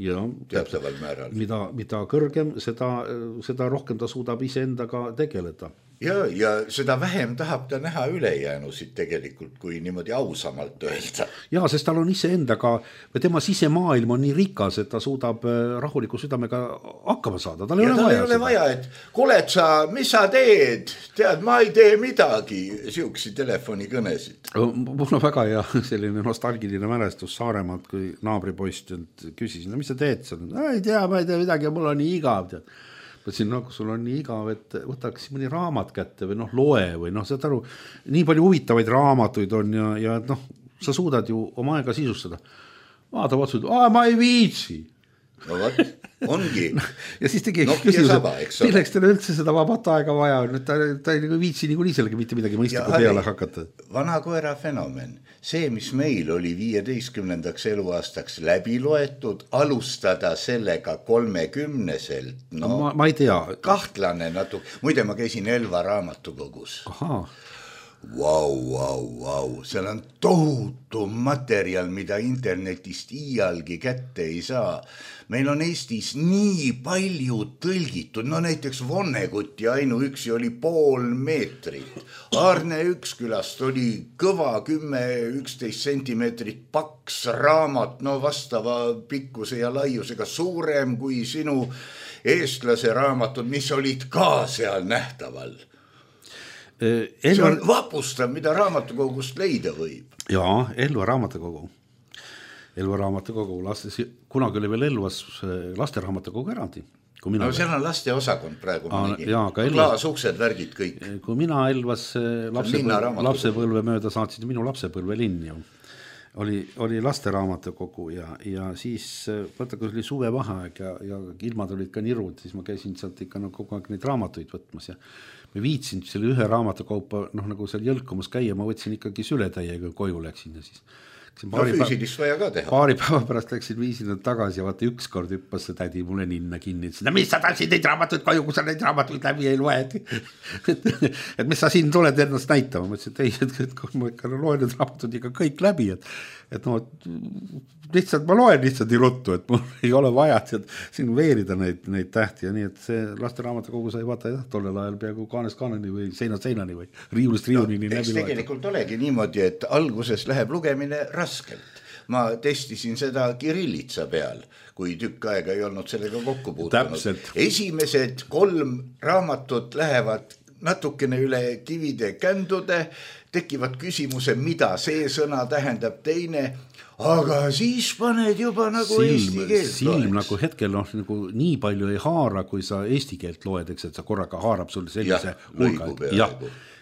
teataval määral. Mida kõrgem, seda rohkem ta suudab iseendaga tegeleda. Ja seda vähem tahab ta näha ülejäänusid tegelikult, kui niimoodi ausamalt öelda. Ja, sest tal on iseendaga, või tema sisemaailm on nii rikas, et ta suudab rahuliku südamega hakkama saada. Tal ei ole vaja, et kuuled sa, mis sa teed? Tead, ma ei tee midagi, siuksi telefonikõnesid. Mul on väga hea selline nostalgiline mälestus Saaremaalt, kui naabripoist küsisin, mis sa teed? Ei tea, ma ei tee midagi, mul on nii igav, tead. Mõtlesin, kui sul on nii igav, et võtaks mõni raamat kätte või loe või saad aru, nii palju huvitavaid raamatuid on ja sa suudad ju oma aega sisustada. Vaata otsus, ma ei viitsi. No võt, ongi. Ja siis tegi küsimus, milleks teile üldse seda vabat aega vaja on, ta ei viitsi nii sellega mitte midagi mõistlikku peale hakata. Vana koera fenomen. See, mis meil oli 15. eluaastaks läbi loetud, alustada sellega 30-selt. Ma ei tea. Kahtlane natuke. Muide, ma käisin Elva raamatukogus. Ahaa. Vau. Seal on tohutu materjal, mida internetist iialgi kätte ei saa. Meil on Eestis nii palju tõlgitud, näiteks Vonnegutti ainuüksi oli 0,5 meetrit. Arne Ükskülast oli kõva 10-11 sentimeetrit paks raamat, vastava pikkuse ja laiusega suurem kui sinu eestlase raamatud, mis olid ka seal nähtaval. See on vapustav, mida raamatukogust leida võib. Jaa, Elva raamatukogu. Kunagi oli veel Elvas lasteraamatukogu eraldi. Seal on laste osakond praegu. Klaasuksed, värgid kõik. Kui mina Elvas lapsepõlve mööda saatsin minu lapsepõlve linn ju. Oli lasteraamatukogu ja siis kui oli suvevaheaeg ja ilmad olid ka nirud, siis ma käisin sealt ikka kogu aeg neid raamatuid võtmas ja ma viitsin selle ühe raamatukaupa seal jõlkumas käia, ma võtsin ikkagi sületäiega koju läksin ja siis füüsilist vaja ka teha. Paari päeva pärast läksin viisin nad tagasi ja vaata ükskord hüppas see tädi mulle ninna kinni. No mis sa tahtsid neid raamatuid koju, kui sa neid raamatuid läbi ei loe? et mis sa siin tuled ennast näitama? Ma ütlesin, et kui ma ikka loen need raamatud ikka kõik läbi, et no lihtsalt ma loen lihtsalt nii ruttu, et mul ei ole vaja siin veerida neid tähti ja nii, et see lasteraamatukogu sai vaata tollel ajal peaaegu kaanest kaaneni või seinast seinani või riiulist riiulini läbi loeta. Tegelikult olegi niimoodi, et alguses läheb lugemine raskelt. Ma testisin seda kirillitsa peal, kui tükk aega ei olnud sellega kokku puutunud. Esimesed 3 raamatut lähevad natukene üle kivide kändude, tekivad küsimuse, mida see sõna tähendab teine, aga siis paned juba nagu eesti keelt silm nagu hetkel nagu nii palju ei haara, kui sa eesti keelt loed, eks, et sa korraga haarab sulle sellise hulga.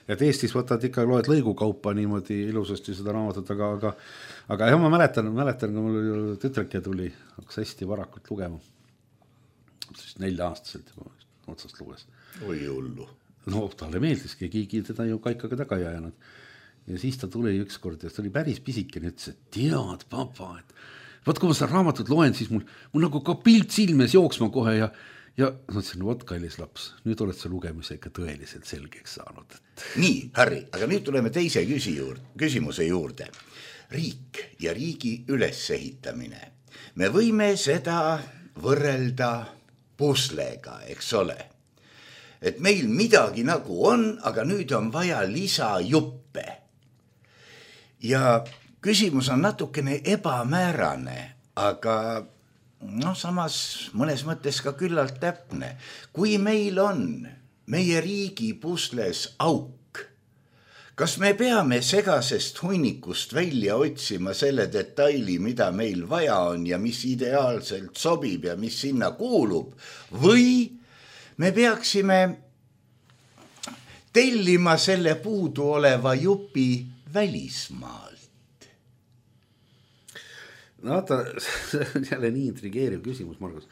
Et Eestis võtad ikka, loed lõigukaupa niimoodi ilusasti seda raamatut, aga jah, ma mäletan, kui mul tütreke tuli, hakkas hästi varakult lugema. 4-aastaselt otsast luges. Oi hullu. No talle meeldiski, keegi teda ju kaikaga taga ei ajanud. Ja siis ta tuli ükskord ja ta oli päris pisikene, ütles, et tead, papa, et vaat kui ma seda raamatut loen, siis mul nagu ka pilt silmes jooksma kohe ja ma ütlesin, vot kallis laps, nüüd oled sa lugemise ikka tõeliselt selgeks saanud. Nii, Harri, aga nüüd tuleme teise küsimuse juurde. Riik ja riigi ülesehitamine. Me võime seda võrrelda puslega, eks ole. Et meil midagi nagu on, aga nüüd on vaja lisajuppe. Ja küsimus on natukene ebamäärane, aga samas mõnes mõttes ka küllalt täpne. Kui meil on meie riigi pusles auk, kas me peame segasest hunnikust välja otsima selle detaili, mida meil vaja on ja mis ideaalselt sobib ja mis sinna kuulub, või me peaksime tellima selle puudu oleva jupi välismaalt? No see on jälle nii intrigeeriv küsimus, Margus.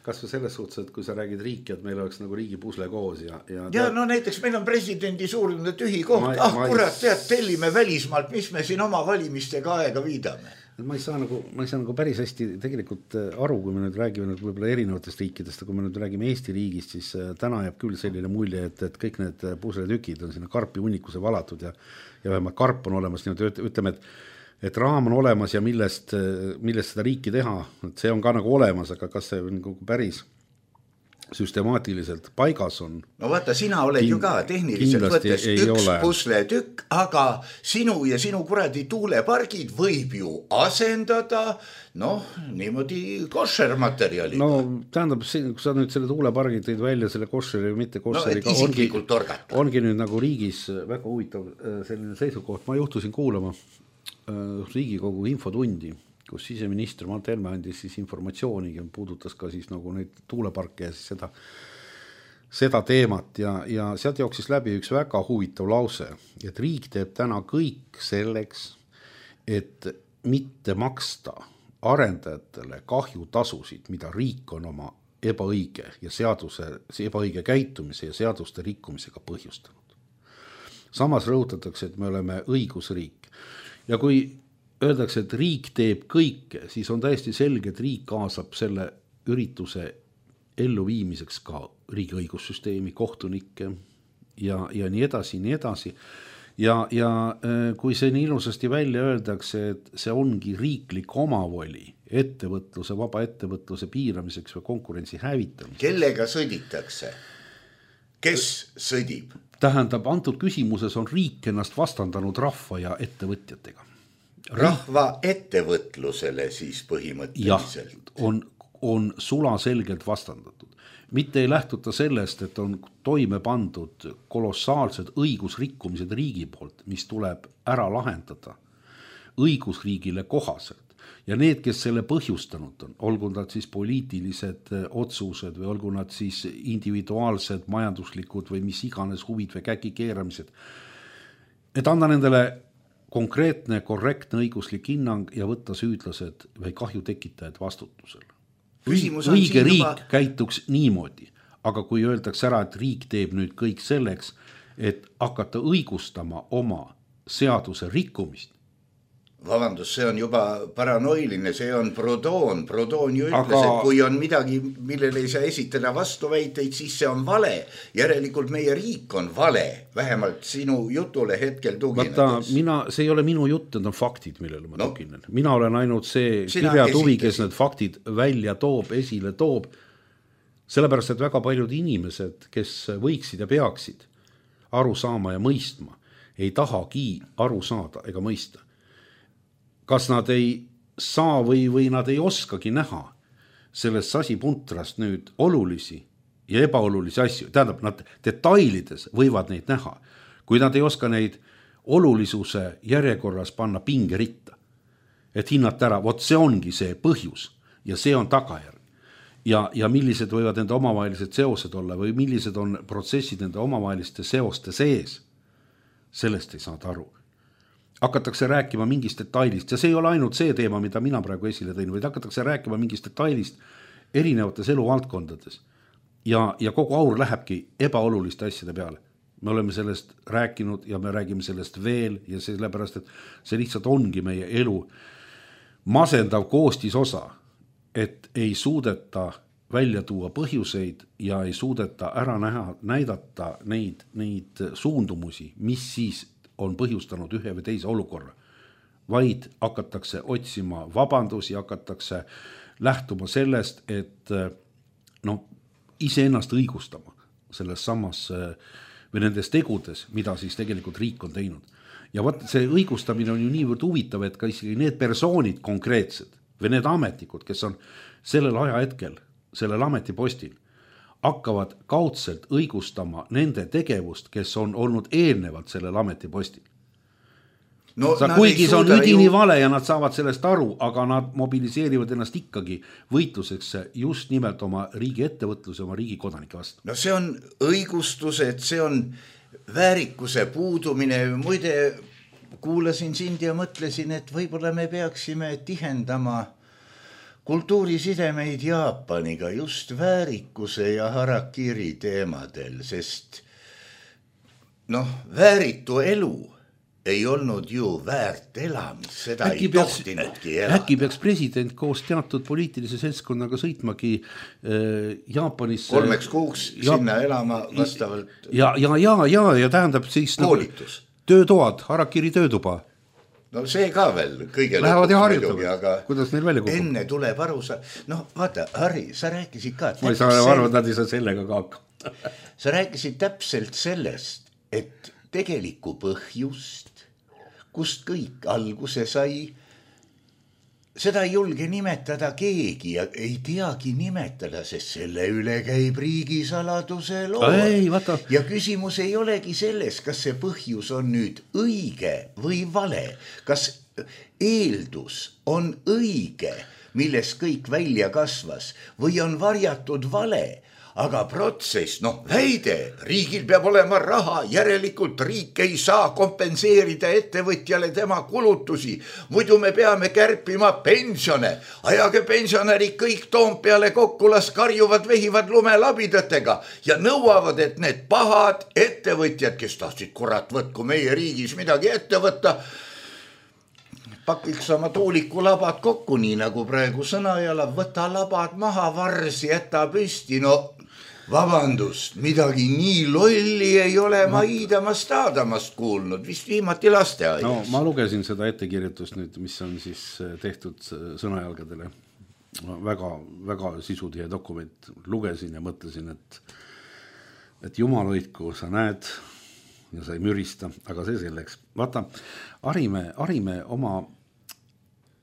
Kas või selles suhtes, et kui sa räägid riiki, et meil oleks nagu riigi pusle koos ja no näiteks meil on presidendi suurune tühi koht, kurat, tead, tellime välismaalt, mis me siin oma valimistega aega viidame. Ma ei saa nagu päris hästi tegelikult aru, kui me nüüd räägime võib-olla erinevatest riikidest, kui me nüüd räägime Eesti riigist, siis täna jääb küll selline mulje, et kõik need pusletükid on sinna karpi hunnikuse valatud ja vähemalt karp on olemas, ütleme, et raam on olemas ja millest seda riiki teha, et see on ka nagu olemas, aga kas see nagu päris süstemaatiliselt paigas on? No vaata, sina oled ju ka tehniliselt võttes üks pusletükk, aga sinu ja sinu kuradi tuulepargid võib ju asendada, niimoodi koššermaterjaliga. No tähendab, kui sa nüüd selle tuulepargid tõid välja, selle koššeri või mitte koššeriga, ongi nüüd nagu riigis väga huvitav selline seisukoht. Ma juhtusin kuulama Riigikogu infotundi, kus siseminister Mart Helme andis siis informatsiooni ja puudutas ka siis nagu neid tuuleparke ja siis seda teemat ja sealt jooksis läbi üks väga huvitav lause, et riik teeb täna kõik selleks, et mitte maksta arendajatele kahjutasusid, mida riik on oma ebaõige käitumise ja seaduste rikkumisega põhjustanud. Samas rõhutatakse, et me oleme õigusriik. Ja kui öeldakse, et riik teeb kõike, siis on täiesti selge, et riik kaasab selle ürituse elluviimiseks ka riigi õigussüsteemi, kohtunikke ja nii edasi, nii edasi. Ja kui see nii ilusasti välja öeldakse, et see ongi riiklik omavoli ettevõtluse, vaba ettevõtluse piiramiseks või konkurentsi hävitamiseks. Kellega sõditakse? Kes sõdib? Tähendab, antud küsimuses on riik ennast vastandanud rahva ja ettevõtjatega. Rahva ettevõtlusele siis põhimõtteliselt? Jah, on sulaselgelt vastandatud. Mitte ei lähtuta sellest, et on toime pandud kolossaalsed õigusrikkumised riigi poolt, mis tuleb ära lahendada õigusriigile kohaselt. Ja need, kes selle põhjustanud on, olgu nad siis poliitilised otsused või olgu nad siis individuaalsed, majanduslikud või mis iganes huvid või käki keeramised, et anda nendele konkreetne, korrektne õiguslik hinnang ja võtta süüdlased või kahju tekitajad vastutusele. Õige riik käituks niimoodi, aga kui öeldakse ära, et riik teeb nüüd kõik selleks, et hakata õigustama oma seaduse rikkumist, Vabandust, see on juba paranoiline, see on Proudhon ju ütles, et kui on midagi, millele ei saa esitada vastuväiteid, siis see on vale. Järelikult meie riik on vale, vähemalt sinu jutule hetkel tuginedes. See ei ole minu jutt, need on faktid, millele ma tuginen. Mina olen ainult see kirjatuvi, kes need faktid välja toob, esile toob, sellepärast, et väga paljud inimesed, kes võiksid ja peaksid aru saama ja mõistma, ei tahagi aru saada ega mõista. Kas nad ei saa või nad ei oskagi näha sellest sasipuntrast nüüd olulisi ja ebaolulisi asju. Tähendab, nad detailides võivad neid näha, kui nad ei oska neid olulisuse järjekorras panna pingeritta. Et hinnata ära, vot see ongi see põhjus ja see on tagajärg. Ja millised võivad nende omavahelised seosed olla või millised on protsessid nende omavaheliste seoste sees, sellest ei saada aru. Hakatakse rääkima mingist detailist ja see ei ole ainult see teema, mida mina praegu esile tõin, vaid hakatakse rääkima mingist detailist erinevates eluvaldkondades ja kogu aur lähebki ebaoluliste asjade peale. Me oleme sellest rääkinud ja me räägime sellest veel ja sellepärast, et see lihtsalt ongi meie elu masendav koostisosa, et ei suudeta välja tuua põhjuseid ja ei suudeta ära näidata neid suundumusi, mis siis on põhjustanud ühe või teise olukorra, vaid hakatakse otsima vabandusi, hakatakse lähtuma sellest, et iseennast õigustama selles samas või nendes tegudes, mida siis tegelikult riik on teinud. Ja võt see õigustamine on ju niivõrd huvitav, et ka isegi need persoonid konkreetsed või need ametnikud, kes on sellel ajahetkel, sellel ametipostil, hakkavad kaudselt õigustama nende tegevust, kes on olnud eelnevalt sellel ametipostil. Kuigi see on üdini vale ja nad saavad sellest aru, aga nad mobiliseerivad ennast ikkagi võitluseks just nimelt oma riigi ettevõtluse, oma riigi kodanike vastu. No see on õigustus, et see on väärikuse puudumine. Muide, kuulasin sind ja mõtlesin, et võib-olla me peaksime tihendama kultuurisidemeid Jaapaniga just väärikuse ja harakiri teemadel, sest vääritu elu ei olnud ju väärt elamist, seda ei tohtinudki elada. Äkki peaks president koos teatud poliitilise seltskonnaga sõitmagi Jaapanisse 3 kuuks sinna elama vastavalt. Ja tähendab siis koolitus. Töötoad, harakiri töötuba. No see ka veel kõige lähevad ja harjutavad, aga kuidas neil välja kukub? Enne tuleb aru vaata, Harri, sa rääkisid ka ma ei saa aru, et nad ei saa sellega ka hakkama. Sa rääkisid täpselt sellest, et tegelikku põhjust, kust kõik alguse sai, seda ei julge nimetada keegi ja ei teagi nimetada, sest selle üle käib riigisaladuse loo. Ja küsimus ei olegi selles, kas see põhjus on nüüd õige või vale, kas eeldus on õige, milles kõik välja kasvas või on varjatud vale. Aga protsess, väide, riigil peab olema raha, järelikult riik ei saa kompenseerida ettevõtjale tema kulutusi, muidu me peame kärpima pensione, ajage pensionärid kõik Toompeale kokku, las karjuvad, vehivad lumelabidõtega ja nõuavad, et need pahad ettevõtjad, kes tahtsid kurat võtku meie riigis midagi ette võtta, pakiks oma tuulikulabad kokku, nii nagu praegu Sõnajala, võta labad maha, varsi, jäta püsti, vabandust, midagi nii lolli ei ole ma Iidamast Aadamast kuulnud, vist viimati lasteaias. Ma lugesin seda ettekirjutust nüüd, mis on siis tehtud Sõnajalgadele. Väga, väga sisutihe dokument. Lugesin ja mõtlesin, et jumal hoidku, sa näed ja sa ei mürista, aga see selleks. Vaata, harime oma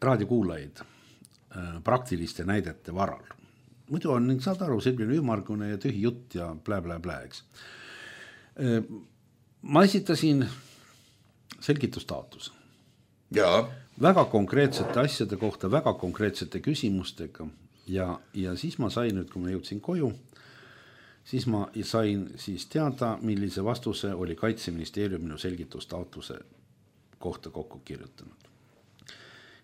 raadiokuulajaid praktiliste näidete varal. Muidu on, saad aru, selline ümargune ja tühi jutt ja blä, eks. Ma esitasin selgitustaotluse. Väga konkreetsete asjade kohta, väga konkreetsete küsimustega ja siis ma sain nüüd, kui ma jõudsin koju, siis ma sain siis teada, millise vastuse oli Kaitseministeerium minu selgitustaotluse kohta kokku kirjutanud.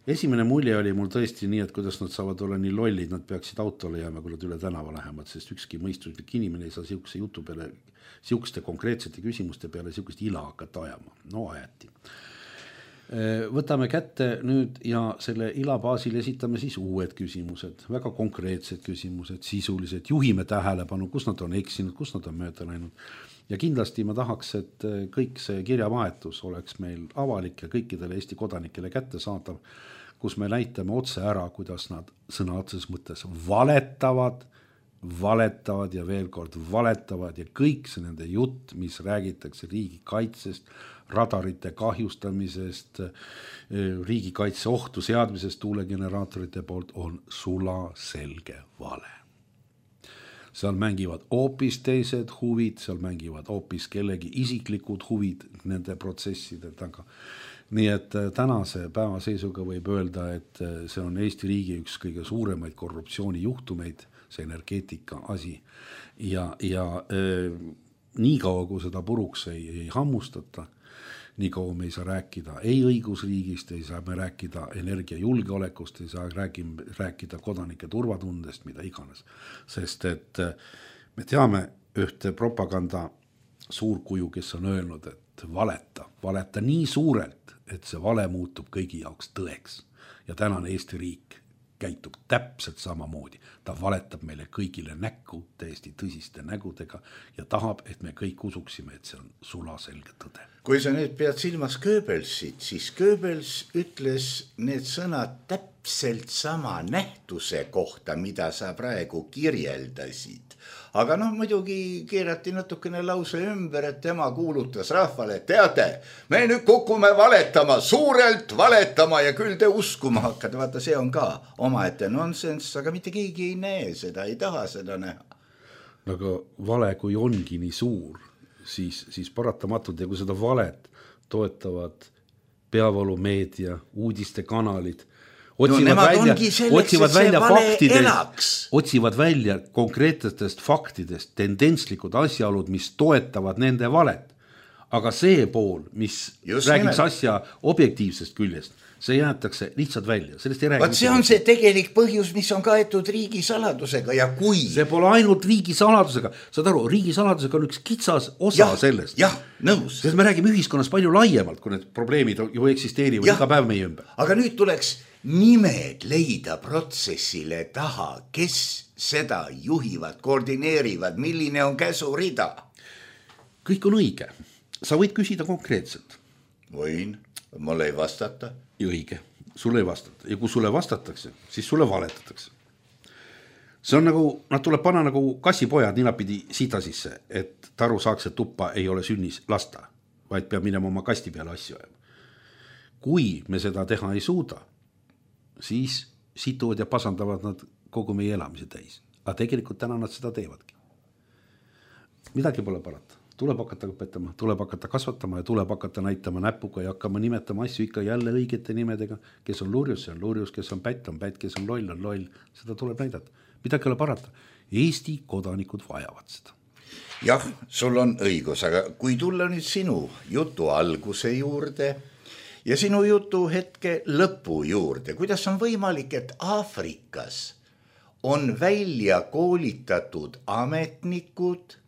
Esimene mulje oli mul tõesti nii, et kuidas nad saavad olla nii lollid, nad peaksid autole jääma, kui nad üle tänava lähevad, sest ükski mõistuslik inimene ei saa siukse jutu peale, siukste konkreetsete küsimuste peale siukest ila hakata ajama. Ajati. Võtame kätte nüüd ja selle ila baasil esitame siis uued küsimused, väga konkreetsed küsimused, sisulised, juhime tähelepanu, kus nad on eksinud, kus nad on mööda läinud. Ja kindlasti ma tahaks, et kõik see kirjavahetus oleks meil avalik ja kõikidele Eesti kodanikele kättesaadav, kus me näitame otse ära, kuidas nad sõna otseses mõttes valetavad ja veel kord valetavad ja kõik see nende jutt, mis räägitakse riigikaitsest, radarite kahjustamisest, riigikaitse ohtu seadmisest tuulegeneraatorite poolt on sula selge vale. Seal mängivad hoopis teised huvid, seal mängivad hoopis kellegi isiklikud huvid nende protsesside taga. Nii et tänase päeva seisuga võib öelda, et see on Eesti riigi üks kõige suuremaid korruptsioonijuhtumeid, see energeetika asi. Ja nii kaua, kui seda puruks ei hammustata, nii kaua me ei saa rääkida ei õigusriigist, ei saa me rääkida energiajulgeolekust, ei saa rääkida kodanike turvatundest, mida iganes. Sest et me teame ühte propaganda suurkuju, kes on öelnud, et valeta nii suurelt, et see vale muutub kõigi jaoks tõeks. Ja tänane Eesti riik käitub täpselt samamoodi. Ta valetab meile kõigile näkku, täiesti tõsiste nägudega ja tahab, et me kõik usuksime, et see on sulaselge tõde. Kui sa nüüd pead silmas Goebbelsit, siis Goebbels ütles need sõnad täpselt sama nähtuse kohta, mida sa praegu kirjeldasid. Aga muidugi keerati natukene lause ümber, et tema kuulutas rahvale, et teate, me nüüd kukume valetama, suurelt valetama ja küll te uskuma hakkad. Vaata, see on ka omaette nonsenss, aga mitte keegi ei näe seda, ei taha seda näha. Aga vale, kui ongi nii suur, siis paratamatult ja kui seda valet toetavad peavoolumeedia, uudistekanalid, otsivad välja konkreetsetest faktidest tendentslikud asjaolud, mis toetavad nende valet. Aga see pool, mis räägiks asja objektiivsest küljest, see jäetakse lihtsalt välja. See on see tegelik põhjus, mis on kaetud riigisaladusega ja kui... See pole ainult riigisaladusega. Saad aru, riigisaladusega on üks kitsas osa sellest. Jah, nõus. Sest me räägime ühiskonnas palju laiemalt, kui need probleemid ju eksisteerivad iga päev meie ümber. Aga nüüd tuleks nimed leida protsessile taha, kes seda juhivad, koordineerivad, milline on käsurida. Kõik on õige. Sa võid küsida konkreetselt. Võin, mulle ei vastata. Õige, sulle ei vastata. Ja kui sulle vastatakse, siis sulle valetatakse. See on nagu, nad tuleb panna nagu kassipojad ninapidi sita sisse, et taru saaks, et tuppa ei ole sünnis lasta, vaid peab minema oma kasti peale asju ajama. Kui me seda teha ei suuda, siis situvad ja pasandavad nad kogu meie elamise täis. Aga tegelikult täna nad seda teevadki. Midagi pole parata. Tuleb hakata õpetama, tuleb hakata kasvatama ja tuleb hakata näitama näpuga ja hakkama nimetama asju ikka jälle õigete nimedega. Kes on lurjus, see on lurjus, kes on pätt, kes on loll. Seda tuleb näidata. Midagi ole parata. Eesti kodanikud vajavad seda. Jah, sul on õigus, aga kui tulla nüüd sinu jutu alguse juurde ja sinu jutu hetke lõpu juurde, kuidas on võimalik, et Aafrikas on välja koolitatud ametnikud,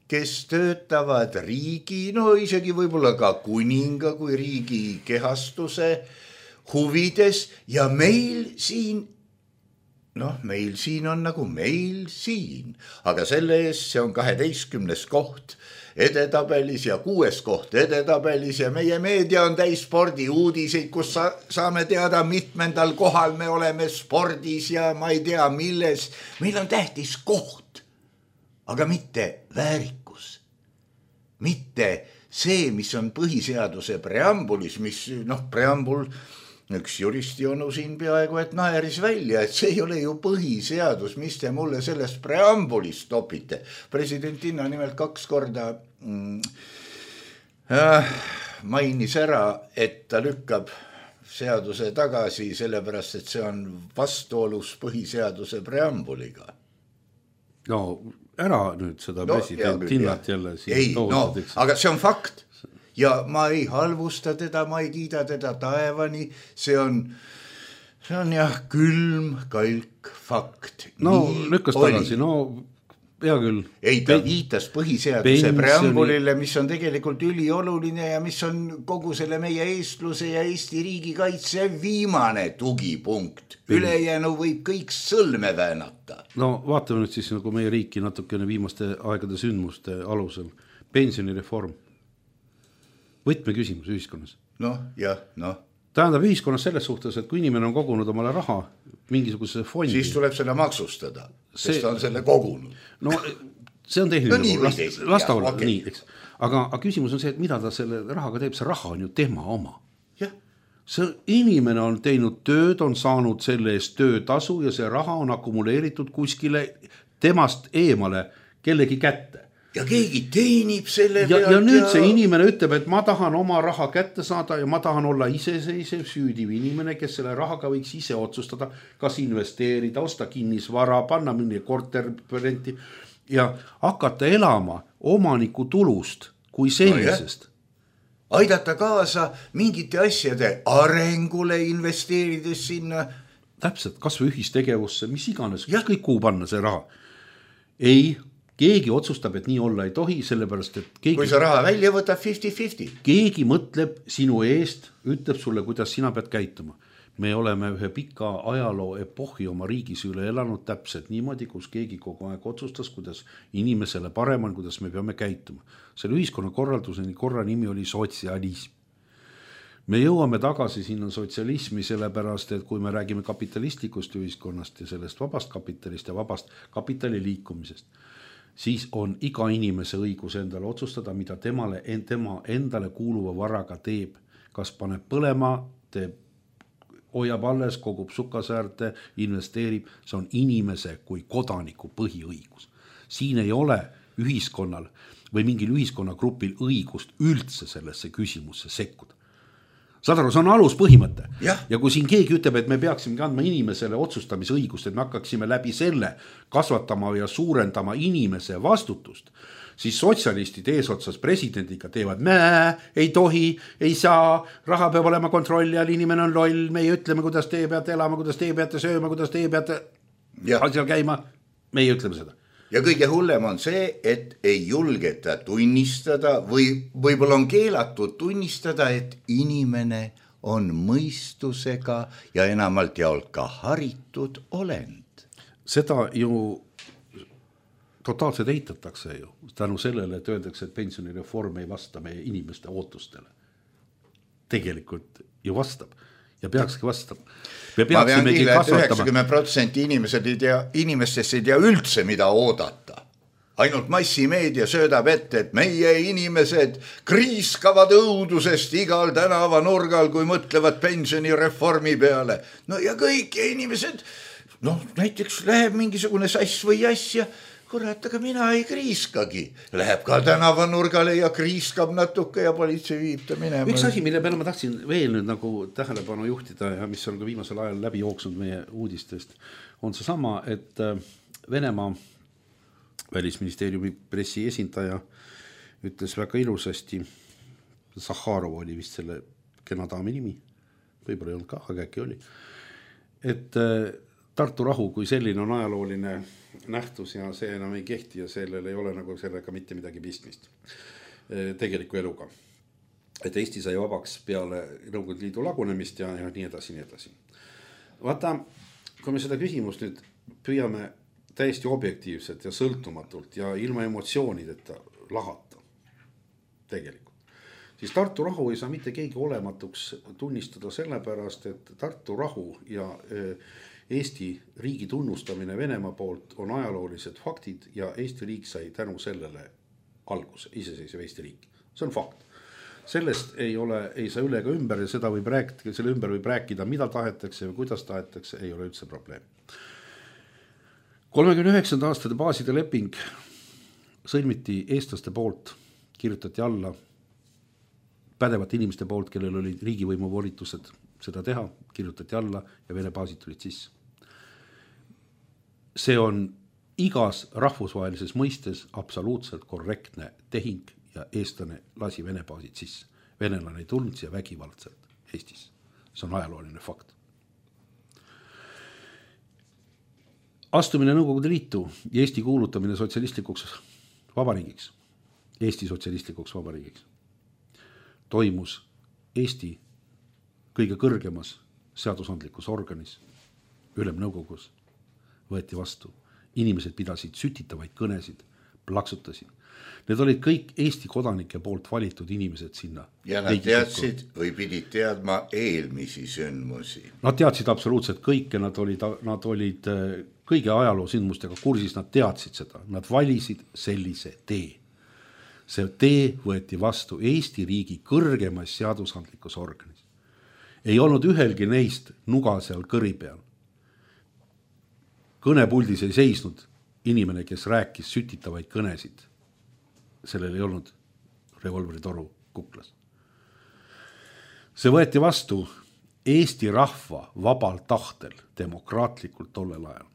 kes töötavad riigi, isegi võib-olla ka kuninga kui riigi kehastuse huvides ja meil siin on nagu meil siin, aga selle eest see on 12. koht edetabelis ja 6. koht edetabelis ja meie meedia on täis spordiuudiseid, kus saame teada mitmendal kohal me oleme spordis ja ma ei tea milles. Meil on tähtis koht, aga mitte väärikus, mitte see, mis on põhiseaduse preambulis, mis preambul, üks juristi on siin peaaegu, et naeris välja, et see ei ole ju põhiseadus, mis te mulle sellest preambulist topite. Presidentina nimelt 2 korda mainis ära, et ta lükkab seaduse tagasi, sellepärast, et see on vastuolus põhiseaduse preambuliga. No ära nüüd seda presidentinnat jälle siin toodud. Aga see on fakt. Ja ma ei halvusta teda, ma ei kiida teda taevani, see on jah külm, kalk, fakt. No lükkas tagasi, hea küll. Ei, ta viitas põhiseaduse preambulile, mis on tegelikult ülioluline ja mis on kogu selle meie eestluse ja Eesti riigi kaitse viimane tugipunkt. Ülejäänu võib kõik sõlme väänata. No vaatame nüüd siis nagu meie riiki natukene viimaste aegade sündmuste alusel. Pensionireform. Võtmeküsimus ühiskonnas. Tähendab ühiskonnas selles suhtes, et kui inimene on kogunud omale raha mingisuguse fondi, siis tuleb seda maksustada, sest ta on selle kogunud. No see on tehniline, lasta olla, nii, eks. Aga küsimus on see, et mida ta selle rahaga teeb, see raha on ju tema oma. See inimene on teinud tööd, on saanud selle eest töötasu ja see raha on akumuleeritud kuskile temast eemale kellegi kätte. Ja keegi teenib selle pealt. Ja nüüd see inimene ütleb, et ma tahan oma raha kätte saada ja ma tahan olla iseseisev süüdiv inimene, kes selle rahaga võiks ise otsustada, kas investeerida, osta kinnisvara, panna mingi korterrenti ja hakata elama omaniku tulust kui sellisest. Aidata kaasa mingite asjade arengule, investeerides sinna. Täpselt, kas või ühistegevusse, mis iganes, kõik kuu panna see raha. Ei, keegi otsustab, et nii olla ei tohi, sellepärast, et keegi... Kui sa raha välja võtab 50-50. Keegi mõtleb sinu eest, ütleb sulle, kuidas sina pead käituma. Me oleme ühe pika ajaloo epohhi oma riigis üle elanud täpselt niimoodi, kus keegi kogu aeg otsustas, kuidas inimesele parem on, kuidas me peame käituma. Selle ühiskonna korralduseni korra nimi oli sotsialism. Me jõuame tagasi sinna sotsialismi sellepärast, et kui me räägime kapitalistlikust ühiskonnast ja sellest vabast kapitalist ja vabast kapitali liikumisest, siis on iga inimese õigus endale otsustada, mida tema endale kuuluva varaga teeb. Kas paneb põlema, teeb, hoiab alles, kogub sukasäärte, investeerib. See on inimese kui kodaniku põhiõigus. Siin ei ole ühiskonnal või mingil ühiskonnagrupil õigust üldse sellesse küsimusse sekkuda. Saad aru, see on aluspõhimõte. Ja kui siin keegi ütleb, et me peaksime andma inimesele otsustamisõigust, et me hakkaksime läbi selle kasvatama ja suurendama inimese vastutust, siis sotsialistid eesotsas presidendiga teevad ei tohi, ei saa, raha peab olema kontrolli all, inimene on loll, meie ütleme, kuidas teie peate elama, kuidas teie peate sööma, kuidas teie peate asjal käima, meie ütleme seda. Ja kõige hullem on see, et ei julgeta tunnistada või võib-olla on keelatud tunnistada, et inimene on mõistusega ja enamalt jaolt ka haritud olend. Seda ju totaalselt eitatakse ju tänu sellele, et öeldakse, et pensionireform ei vasta meie inimeste ootustele. Tegelikult ju vastab. Ja peakski vastama. Ma pean kiile, et 90% inimestest ei tea üldse, mida oodata. Ainult massimeedia söödab ette, et meie inimesed kriiskavad õudusest igal tänava nurgal, kui mõtlevad pensionireformi peale. No ja kõik inimesed, näiteks läheb mingisugune sass või asja, kurat, aga mina ei kriiskagi. Läheb ka tänavanurgale ja kriiskab natuke ja politsei viib ta minema. Üks asi, mille peale ma tahtsin veel nüüd nagu tähelepanu juhtida ja mis on ka viimasel ajal läbi jooksnud meie uudistest, on see sama, et Venemaa välisministeeriumi pressi esindaja ütles väga ilusasti, Zahharov oli vist selle kena daami nimi, võib-olla ei olnud ka, aga äkki oli, et Tartu rahu kui selline on ajalooline nähtus ja see enam ei kehti ja sellel ei ole nagu sellega mitte midagi pistmist tegeliku eluga. Et Eesti sai vabaks peale Nõukogude Liidu lagunemist ja nii edasi, nii edasi. Vaata, kui me seda küsimust nüüd püüame täiesti objektiivselt ja sõltumatult ja ilma emotsioonideta lahata tegelikult, siis Tartu rahu ei saa mitte keegi olematuks tunnistada sellepärast, et Tartu rahu ja Eesti riigi tunnustamine Venemaa poolt on ajaloolised faktid ja Eesti riik sai tänu sellele alguse, iseseisev Eesti riik. See on fakt. Sellest ei saa üle ega ümber ja seda võib rääkida, selle ümber võib rääkida, mida tahetakse või kuidas tahetakse, ei ole üldse probleem. 39. aastate baaside leping sõlmiti eestlaste poolt, kirjutati alla pädevate inimeste poolt, kellel olid riigivõimu volitused seda teha, kirjutati alla ja Vene baasid tulid sisse. See on igas rahvusvahelises mõistes absoluutselt korrektne tehing ja eestlane lasi Vene baasid sisse. Venelane ei tulnud siia vägivaldselt Eestis. See on ajalooline fakt. astumine Nõukogude Liitu ja Eesti kuulutamine sotsialistlikuks vabariigiks, Eesti sotsialistlikuks vabariigiks, toimus Eesti kõige kõrgemas seadusandlikus organis, Ülemnõukogus, võeti vastu. Inimesed pidasid sütitavaid kõnesid, plaksutasid. Need olid kõik Eesti kodanike poolt valitud inimesed sinna. Ja nad teadsid või pidid teadma eelmisi sündmusi. Nad teadsid absoluutselt kõike, nad olid kõige ajaloo sündmustega kursis, nad teadsid seda. Nad valisid sellise tee. See tee võeti vastu Eesti riigi kõrgemas seadusandlikus organis. Ei olnud ühelgi neist nuga seal kõri peal. Kõnepuldis ei seisnud inimene, kes rääkis sütitavaid kõnesid. Sellel ei olnud revolveritoru kuklas. See võeti vastu Eesti rahva vabal tahtel, demokraatlikult tollel ajal.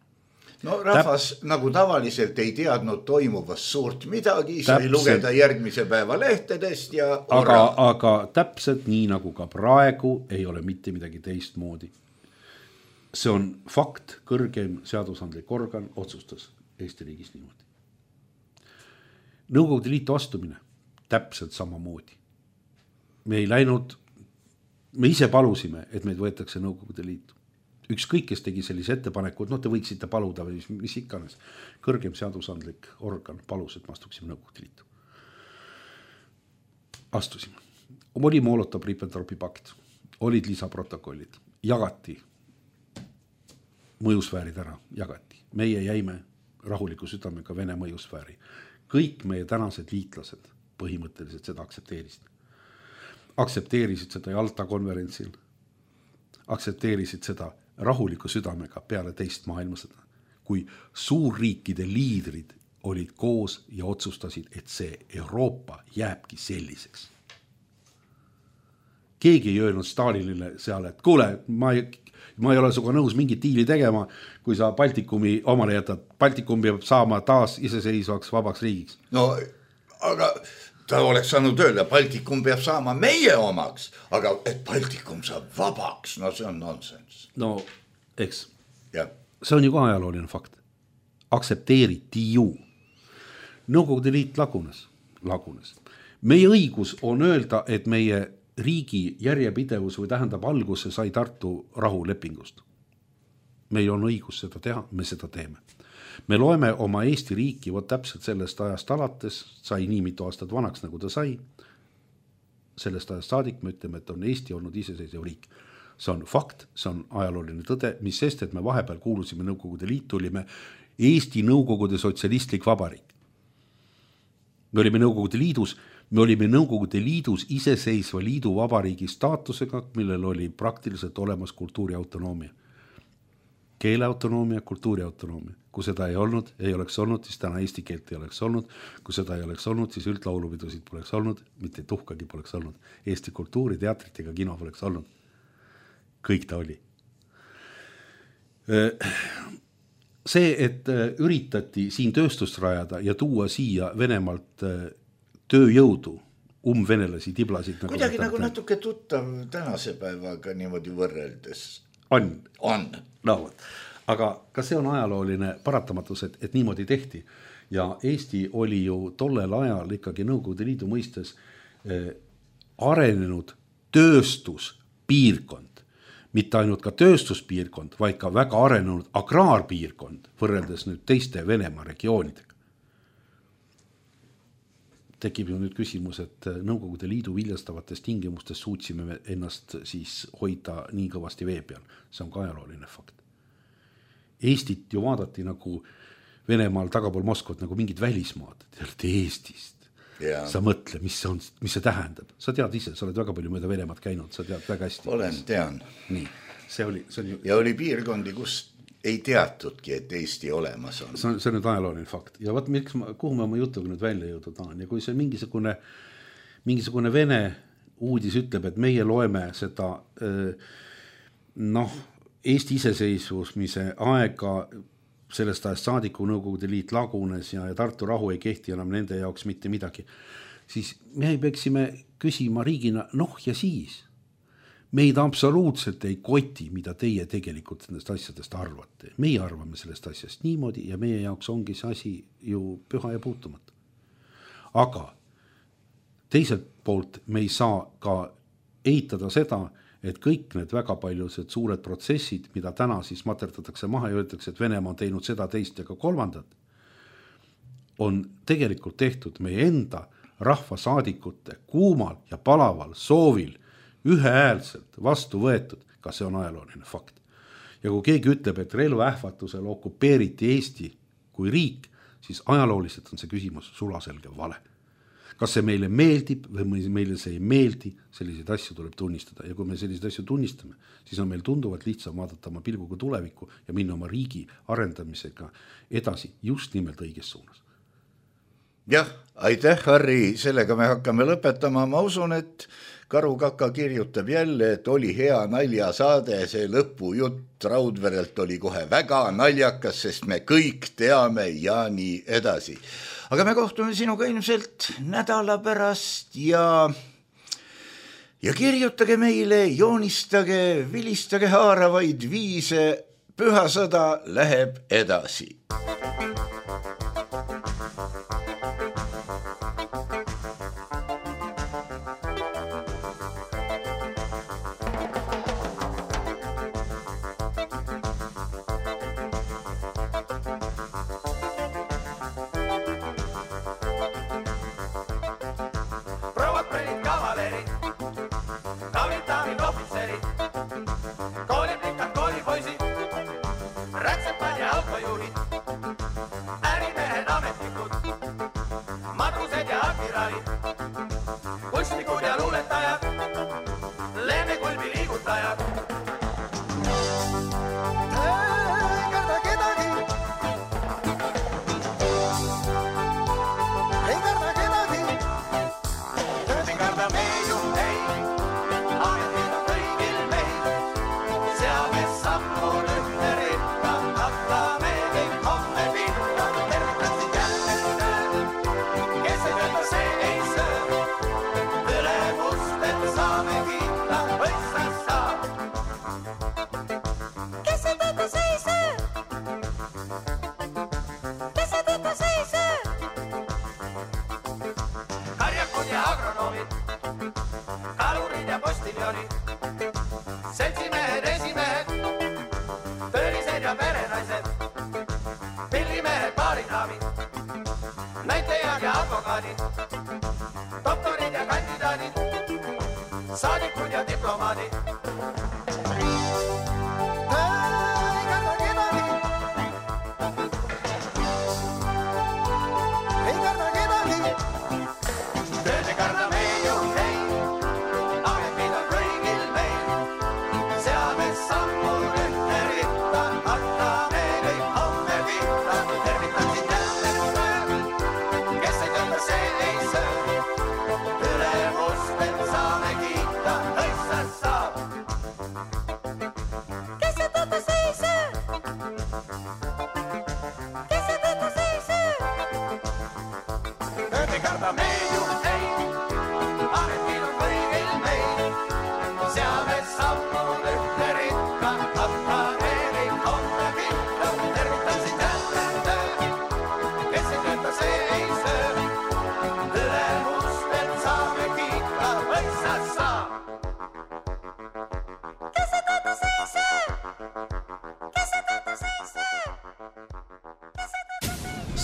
No rahvas nagu tavaliselt ei teadnud toimuvast suurt midagi, sai lugeda järgmise päeva lehtedest ja aga täpselt nii nagu ka praegu ei ole mitte midagi teistmoodi. See on fakt, kõrgem seadusandlik organ otsustas Eesti riigis niimoodi. Nõukogude Liitu astumine täpselt samamoodi. Me ei läinud, me ise palusime, et meid võetakse Nõukogude Liitu. Ükskõik, kes tegi sellise ettepaneku, et te võiksite paluda või mis iganes. Kõrgem seadusandlik organ palus, et me astuksime Nõukogude Liitu. Astusime. Oli Molotov-Ribbentropi pakt, olid lisaprotokollid, jagati mõjusfäärid ära, jagati. Meie jäime rahuliku südamega Vene mõjusfääri. Kõik meie tänased liitlased põhimõtteliselt seda aktsepteerisid. Aktsepteerisid seda Jalta konverentsil, aktsepteerisid seda rahuliku südamega peale teist maailmasõda, kui suurriikide liidrid olid koos ja otsustasid, et see Euroopa jääbki selliseks. Keegi ei öelnud Stalinile seal, et kuule, ma ei ole suga nõus mingit diili tegema, kui sa Baltikumi omale jätad. Baltikum peab saama taas iseseisvaks vabaks riigiks. No, aga ta oleks saanud öelda, Baltikum peab saama meie omaks, aga et Baltikum saab vabaks, no see on nonsense. No, eks. Ja. See on ju ka ajalooline fakt. Aktsepteeriti ju. Nõukogude Liit lagunes. Meie õigus on öelda, et meie riigi järjepidevus või tähendab alguse sai Tartu rahulepingust. Meil on õigus seda teha, me seda teeme. Me loeme oma Eesti riiki võt täpselt sellest ajast alates, sai nii mitu aastat vanaks, nagu ta sai. Sellest ajast saadik me ütleme, et on Eesti olnud iseseisev riik. See on fakt, see on ajalooline tõde, mis sest, et me vahepeal kuulusime Nõukogude Liitu, olime Eesti Nõukogude sotsialistlik vabariik. Me olime Nõukogude Liidus iseseisva liidu vabariigi staatusega, millel oli praktiliselt olemas kultuuriautonoomia. Keeleautonoomia, kultuuriautonoomia. Kui seda ei oleks olnud, siis täna eesti keelt ei oleks olnud. Kui seda ei oleks olnud, siis üldlaulupidusid poleks olnud, mitte tuhkagi poleks olnud. Eesti kultuuri, teatrit ega kino poleks olnud. Kõik ta oli. See, et üritati siin tööstust rajada ja tuua siia Venemaalt tööjõudu, venelasi, tiblasid. Kuidagi nagu natuke tuttav tänase päevaga niimoodi võrreldes. On. No. Aga ka see on ajalooline paratamatus, et niimoodi tehti. Ja Eesti oli ju tollel ajal ikkagi Nõukogude Liidu mõistes arenenud tööstuspiirkond. Mitte ainult ka tööstuspiirkond, vaid ka väga arenenud agraarpiirkond, võrreldes nüüd teiste Venemaa regioonidega. Tekib ju nüüd küsimus, et Nõukogude Liidu viljastavates tingimustes suutsime ennast siis hoida nii kõvasti vee peal. See on ka ajalooline fakt. Eestit ju vaadati nagu Venemaal tagapool Moskvat nagu mingid välismaad. Te olete Eestist. Ja. Sa mõtle, mis see tähendab. Sa tead ise, sa oled väga palju mööda Venemaad käinud, sa tead väga hästi. Tean. Nii, see oli ju... Ja oli piirkondi, kus ei teatudki, et Eesti olemas on. See on nüüd ajalooline fakt. Ja vaat, kuhu ma oma jutuga nüüd välja jõuda tahan. Ja kui see mingisugune Vene uudis ütleb, et meie loeme seda Eesti iseseisvumise aega sellest ajast saadiku Nõukogude Liit lagunes ja Tartu rahu ei kehti enam nende jaoks mitte midagi, siis me peaksime küsima riigina, ja siis. Meid absoluutselt ei koti, mida teie tegelikult nendest asjadest arvate. Meie arvame sellest asjast niimoodi ja meie jaoks ongi see asi ju püha ja puutumatu. Aga teiselt poolt me ei saa ka eitada seda, et kõik need väga paljused suured protsessid, mida täna siis materdatakse maha ja öeldakse, et Venemaa on teinud seda, teist ja ka kolmandat, on tegelikult tehtud meie enda rahvasaadikute kuumal ja palaval soovil ühehäälselt vastu võetud, kas see on ajalooline fakt. Ja kui keegi ütleb, et relvaähvatusel okupeeriti Eesti kui riik, siis ajalooliselt on see küsimus sulaselge vale. Kas see meile meeldib või meile see ei meeldi, selliseid asju tuleb tunnistada. Ja kui me selliseid asju tunnistame, siis on meil tunduvalt lihtsam vaadata oma pilguga tulevikku ja minna oma riigi arendamisega edasi just nimelt õiges suunas. Jah, aitäh, Harri, sellega me hakkame lõpetama. Ma usun, et Karu Kaka kirjutab jälle, et oli hea naljasaade, see lõpujutt Raudverelt oli kohe väga naljakas, sest me kõik teame ja nii edasi. Aga me kohtume sinuga ilmselt nädala pärast ja kirjutage meile, joonistage, vilistage haaravaid viise, pühasõda läheb edasi. Saadikud ja diplomaadid.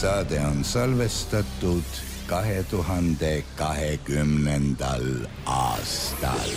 Saade on salvestatud 2020. aastal.